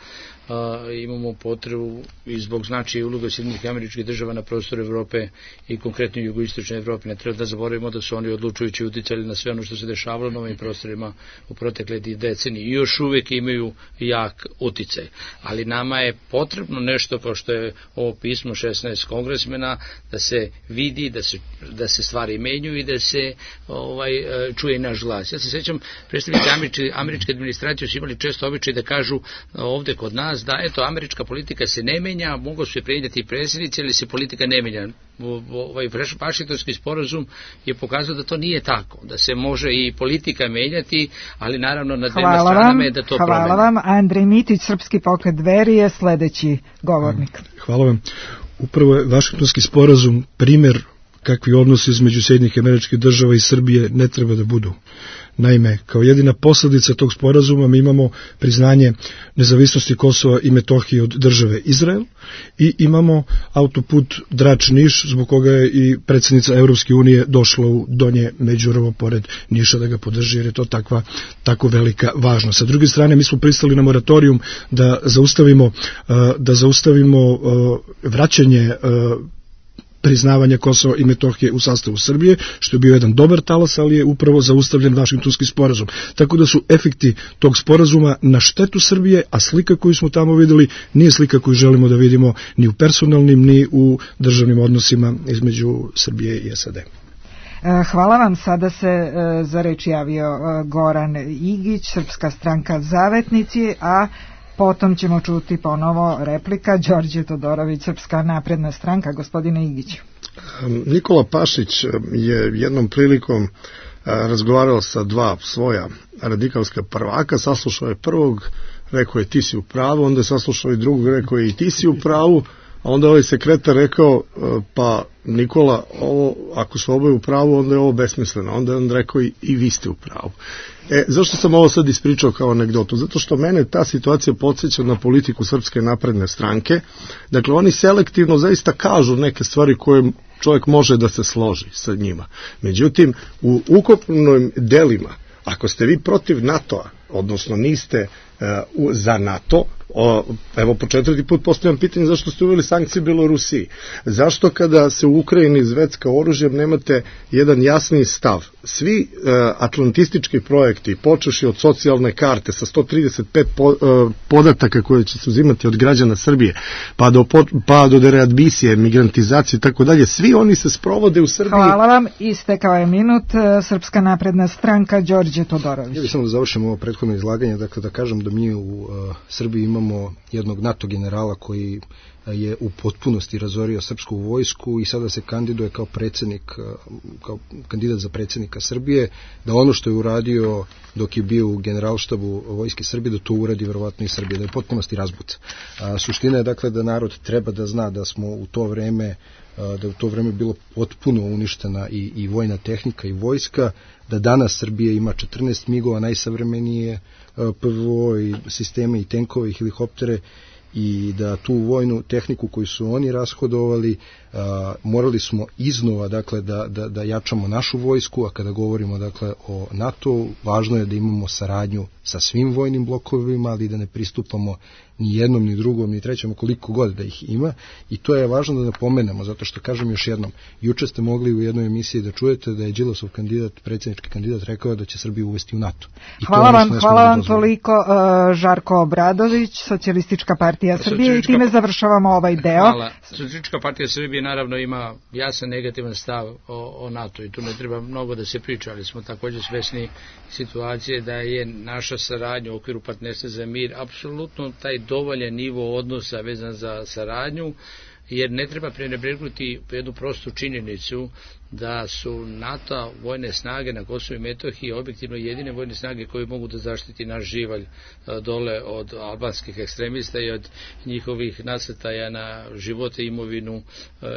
a, imamo potrebu i zbog značaja i uloga Sjedinjenih Američkih Država na prostoru Evrope i konkretno jugoistočne Evrope. Ne treba da zaboravimo da su oni odlučujući uticali na sve ono što se dešavalo na ovim prostorima u protekle decenije i još uvijek imaju jak uticaj. Ali nama je potrebno nešto, pošto je ovo pismo šesnaest kongresmena, da se vidi, da se, da se stvari menjuju i da se ovaj, čuje naš glas. Ja se sjećam, predstavnici američke, američke administracije su imali često običaj da kažu ovde kod nas da eto, američka politika se ne menja, mogu se prenijeti predsjednici, ali se politika ne menja. Ovaj Vašingtonski sporazum je pokazao da to nije tako, da se može i politika menjati, ali naravno na dvema stranama je da to promeni. Hvala vam. Andrej Mitić, Srpski pokret Dveri, je sledeći govornik. Hvala vam. Upravo je Vašingtonski sporazum primjer kakvi odnosi između Sjedinjenih Američkih Država i Srbije ne treba da budu. Naime, kao jedina posljedica tog sporazuma mi imamo priznanje nezavisnosti Kosova i Metohije od države Izrael i imamo autoput Drač-Niš, zbog koga je i predsjednica Evropske unije došla u Donje Međurovo pored Niša da ga podrži, jer je to takva, tako velika važnost. Sa druge strane, mi smo pristali na moratorijum da zaustavimo, da zaustavimo vraćanje priznavanja Kosova i Metohije u sastavu Srbije, što je bio jedan dobar talas, ali je upravo zaustavljen Vašingtonski sporazum. Tako da su efekti tog sporazuma na štetu Srbije, a slika koju smo tamo videli nije slika koju želimo da vidimo ni u personalnim, ni u državnim odnosima između Srbije i S A D. Hvala vam. Sada se za reč javio Goran Igić, Srpska stranka Zavetnici, a potom ćemo čuti ponovo replika Đorđe Todorović, Srpska napredna stranka. Gospodine Igiću. Nikola Pašić je jednom prilikom razgovarao sa dva svoja radikalska prvaka, saslušao je prvog, rekao je ti si u pravu, onda je saslušao i drugog, rekao je i ti si u pravu, a onda ovaj sekretar rekao, pa Nikola, ovo, ako su oboje u pravu, onda je ovo besmisleno. Onda je on rekao i, i vi ste u pravu. E, zašto sam ovo sad ispričao kao anegdotu? Zato što mene ta situacija podsjeća na politiku Srpske napredne stranke. Dakle, oni selektivno zaista kažu neke stvari koje čovjek može da se složi sa njima. Međutim, u ukupnim delima, ako ste vi protiv NATO-a, odnosno niste uh, za NATO, o, evo po četvrti put postavljam pitanje zašto ste uveli sankcije Belorusiji. Zašto kada se u Ukrajini zvecka oružjem nemate jedan jasni stav? Svi uh, atlantistički projekti, počeši od socijalne karte sa sto trideset pet po, uh, podataka koje će se uzimati od građana Srbije, pa do, pa do dereadmisije, migrantizacije i tako dalje, svi oni se sprovode u Srbiji. Hvala vam, istekao je minut. Srpska napredna stranka, Đorđe Todorović. Ja bih samo da završim ovo prethodno izlaganje, dakle da kažem da mi u uh, Srbiji imamo jednog NATO generala koji je u potpunosti razorio srpsku vojsku i sada se kandiduje kao predsjednik, kao kandidat za predsjednika Srbije, da ono što je uradio dok je bio u generalštabu vojske Srbije, da to uradi verovatno i Srbije, da je u potpunosti razbuca. A, suština je dakle da narod treba da zna da smo u to vreme da je u to vreme bilo potpuno uništena i, i vojna tehnika i vojska, da danas Srbija ima četrnaest migova, najsavremenije P V O i sisteme i tenkove i helikoptere, i da tu vojnu tehniku koju su oni rashodovali a, morali smo iznova dakle da, da, da jačamo našu vojsku, a kada govorimo dakle o NATO, važno je da imamo saradnju sa svim vojnim blokovima, ali da ne pristupamo ni jednom, ni drugom, ni trećem, koliko god da ih ima, i to je važno da napomenemo, zato što kažem još jednom, juče ste mogli u jednoj emisiji da čujete da je Đilasov kandidat, predsjednički kandidat, rekao da će Srbiju uvesti u NATO. I hvala vam, hvala vam toliko. Žarko Obradović, Socijalistička partija partija Srbije i time završavamo ovaj deo. Hvala. Socijalistička partija Srbije naravno ima jasan negativan stav o, o NATO i tu ne treba mnogo da se priča, ali smo također svesni situacije da je naša saradnja u okviru partnerstva za mir apsolutno taj dovoljan nivo odnosa vezan za saradnju, jer ne treba prenebregnuti jednu prostu činjenicu da su NATO vojne snage na Kosovu i Metohiji objektivno jedine vojne snage koje mogu da zaštiti naš živalj dole od albanskih ekstremista i od njihovih nasrtaja na živote i imovinu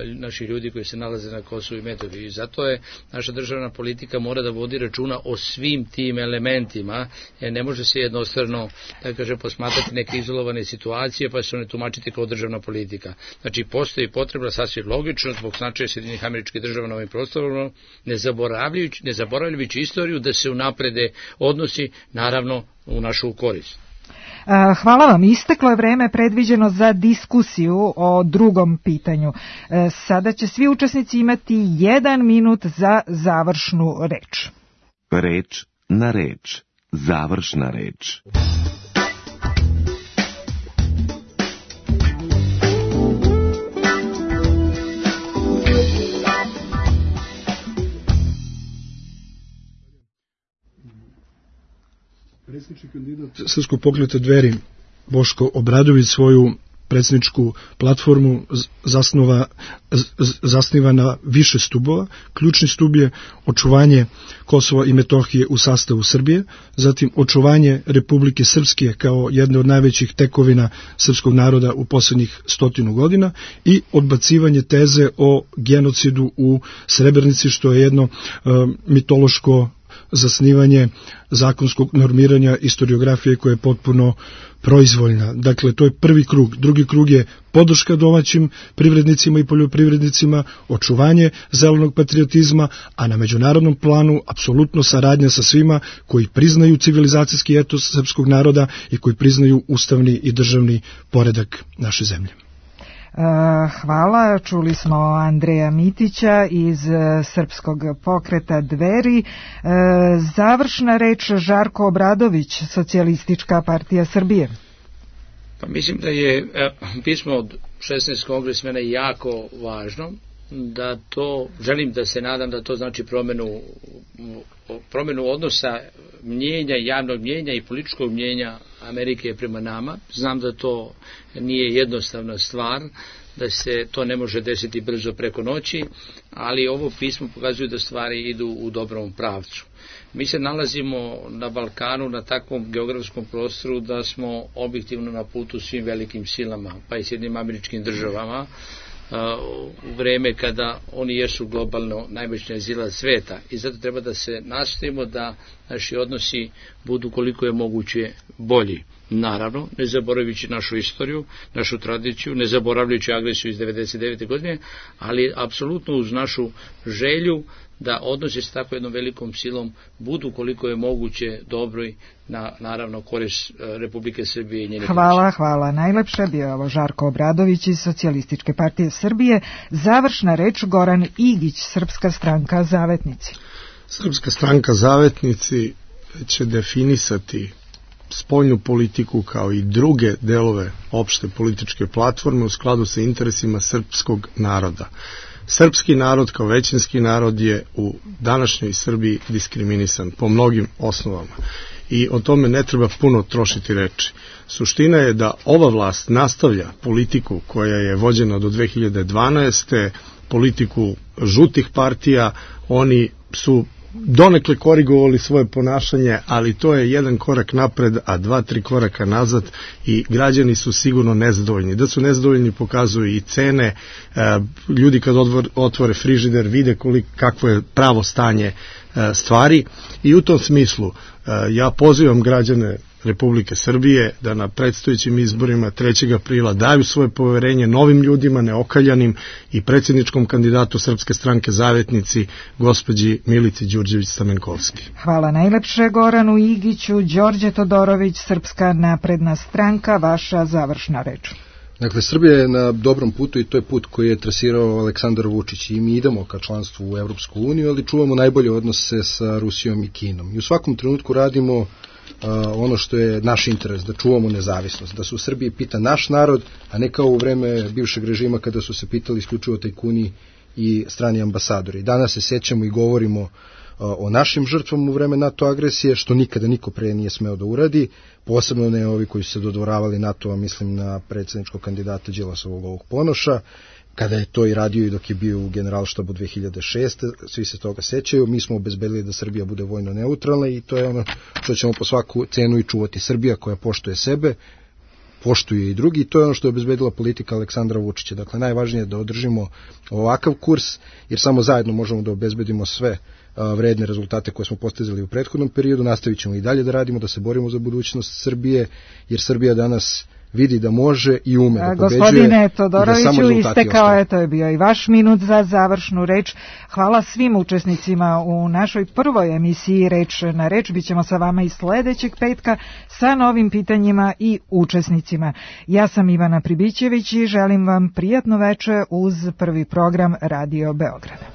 naših ljudi koji se nalaze na Kosovu i Metohiji. Zato je naša državna politika mora da vodi računa o svim tim elementima, jer ne može se jednostrano, da kažem, posmatrati neke izolovane situacije pa se one tumačiti kao državna politika. Znači, postoji potreba sasvim logično zbog značaja Sjedinjenih Američkih Država na ovim prostorima, ne zaboravljajući, ne zaboravljajući istoriju da se unaprede odnosi, naravno, u našu korist. Hvala vam. Isteklo je vreme predviđeno za diskusiju o drugom pitanju. Sada će svi učesnici imati jedan minut za završnu reč. Reč na reč. Završna reč. Predsjednički kandidat Srpskog pokreta Dveri Boško Obradović svoju predsjedničku platformu zasnova, zasniva na više stubova. Ključni stub je očuvanje Kosova i Metohije u sastavu Srbije, zatim očuvanje Republike Srpske kao jedne od najvećih tekovina srpskog naroda u posljednjih stotinu godina i odbacivanje teze o genocidu u Srebrenici, što je jedno uh, mitološko zasnivanje zakonskog normiranja istoriografije koja je potpuno proizvoljna. Dakle, to je prvi krug. Drugi krug je podrška domaćim privrednicima i poljoprivrednicima, očuvanje zelenog patriotizma, a na međunarodnom planu apsolutno saradnja sa svima koji priznaju civilizacijski etos srpskog naroda i koji priznaju ustavni i državni poredak naše zemlje. Hvala, čuli smo Andreja Mitića iz Srpskog pokreta Dveri. Završna reč Žarko Obradović, Socijalistička partija Srbije. Pa mislim da je pismo od šesnaestog kongresmena jako važno, da to, želim da se nadam da to znači promjenu, promjenu odnosa mnjenja, javnog mnjenja i političkog mnjenja Amerike prema nama. Znam da to nije jednostavna stvar, da se to ne može desiti brzo preko noći, ali ovo pismo pokazuje da stvari idu u dobrom pravcu. Mi se nalazimo na Balkanu, na takvom geografskom prostoru da smo objektivno na putu svim velikim silama, pa i Sjedinjenim Američkim Državama, u vreme kada oni jesu globalno najmoćnija sila sveta, i zato treba da se nastojimo da naši odnosi budu koliko je moguće bolji. Naravno, ne zaboravljajući našu istoriju, našu tradiciju, ne zaboravljajući agresiju iz devedeset devete godine, ali apsolutno uz našu želju da odnosi s tako jednom velikom silom budu koliko je moguće dobroj, na naravno korist Republike Srbije i njene. Hvala, pomoći. Hvala. Najlepše bio ovo Žarko Obradović iz Socijalističke partije Srbije. Završna reč Goran Igić, Srpska stranka Zavetnici. Srpska stranka Zavetnici će definisati spoljnu politiku kao i druge delove opšte političke platforme u skladu sa interesima srpskog naroda. Srpski narod kao većinski narod je u današnjoj Srbiji diskriminisan po mnogim osnovama i o tome ne treba puno trošiti reči. Suština je da ova vlast nastavlja politiku koja je vođena do dve hiljade dvanaeste. politiku žutih partija. Oni su donekle korigovali svoje ponašanje, ali to je jedan korak napred, a dva, tri koraka nazad i građani su sigurno nezadovoljni. Da su nezadovoljni pokazuju i cene, ljudi kad otvore frižider vide koliko, kakvo je pravo stanje stvari i u tom smislu ja pozivam građane Republike Srbije da na predstojećim izborima trećeg aprila daju svoje poverenje novim ljudima, neokaljanim i predsjedničkom kandidatu Srpske stranke Zavetnici, gospođi Milici Đurđević-Stamenkovski. Hvala najlepše Goranu Igiću. Đorđe Todorović, Srpska napredna stranka, vaša završna reč. Dakle, Srbija je na dobrom putu i to je put koji je trasirao Aleksandar Vučić i mi idemo ka članstvu u Evropsku uniju, ali čuvamo najbolje odnose sa Rusijom i Kinom. I u svakom trenutku radimo ono što je naš interes, da čuvamo nezavisnost, da se u Srbiji pita naš narod, a ne kao u vreme bivšeg režima kada su se pitali isključivo tajkuni i strani ambasadori. Danas se sećamo i govorimo o našim žrtvama u vreme NATO agresije, što nikada niko pre nije smeo da uradi, posebno ne ovi koji su se dodvoravali NATO-a, mislim na predsjedničkog kandidata Đilasovog ovog Ponoša, kada je to i radio i dok je bio u Generalštabu dve hiljade šeste. Svi se toga sećaju. Mi smo obezbedili da Srbija bude vojno neutralna i to je ono što ćemo po svaku cenu i čuvati. Srbija koja poštuje sebe, poštuje i drugi, i to je ono što je obezbedila politika Aleksandra Vučića. Dakle, najvažnije je da održimo ovakav kurs, jer samo zajedno možemo da obezbedimo sve vredne rezultate koje smo postizali u prethodnom periodu. Nastavit ćemo i dalje da radimo, da se borimo za budućnost Srbije, jer Srbija danas vidi da može i ume da pobeđuje. Gospodine Todoroviću, istekao je, to je bio i vaš minut za završnu reč. Hvala svim učesnicima u našoj prvoj emisiji Reč na reč. Bićemo sa vama i sledećeg petka sa novim pitanjima i učesnicima. Ja sam Ivana Pribićević i želim vam prijatno veče uz prvi program Radio Beograda.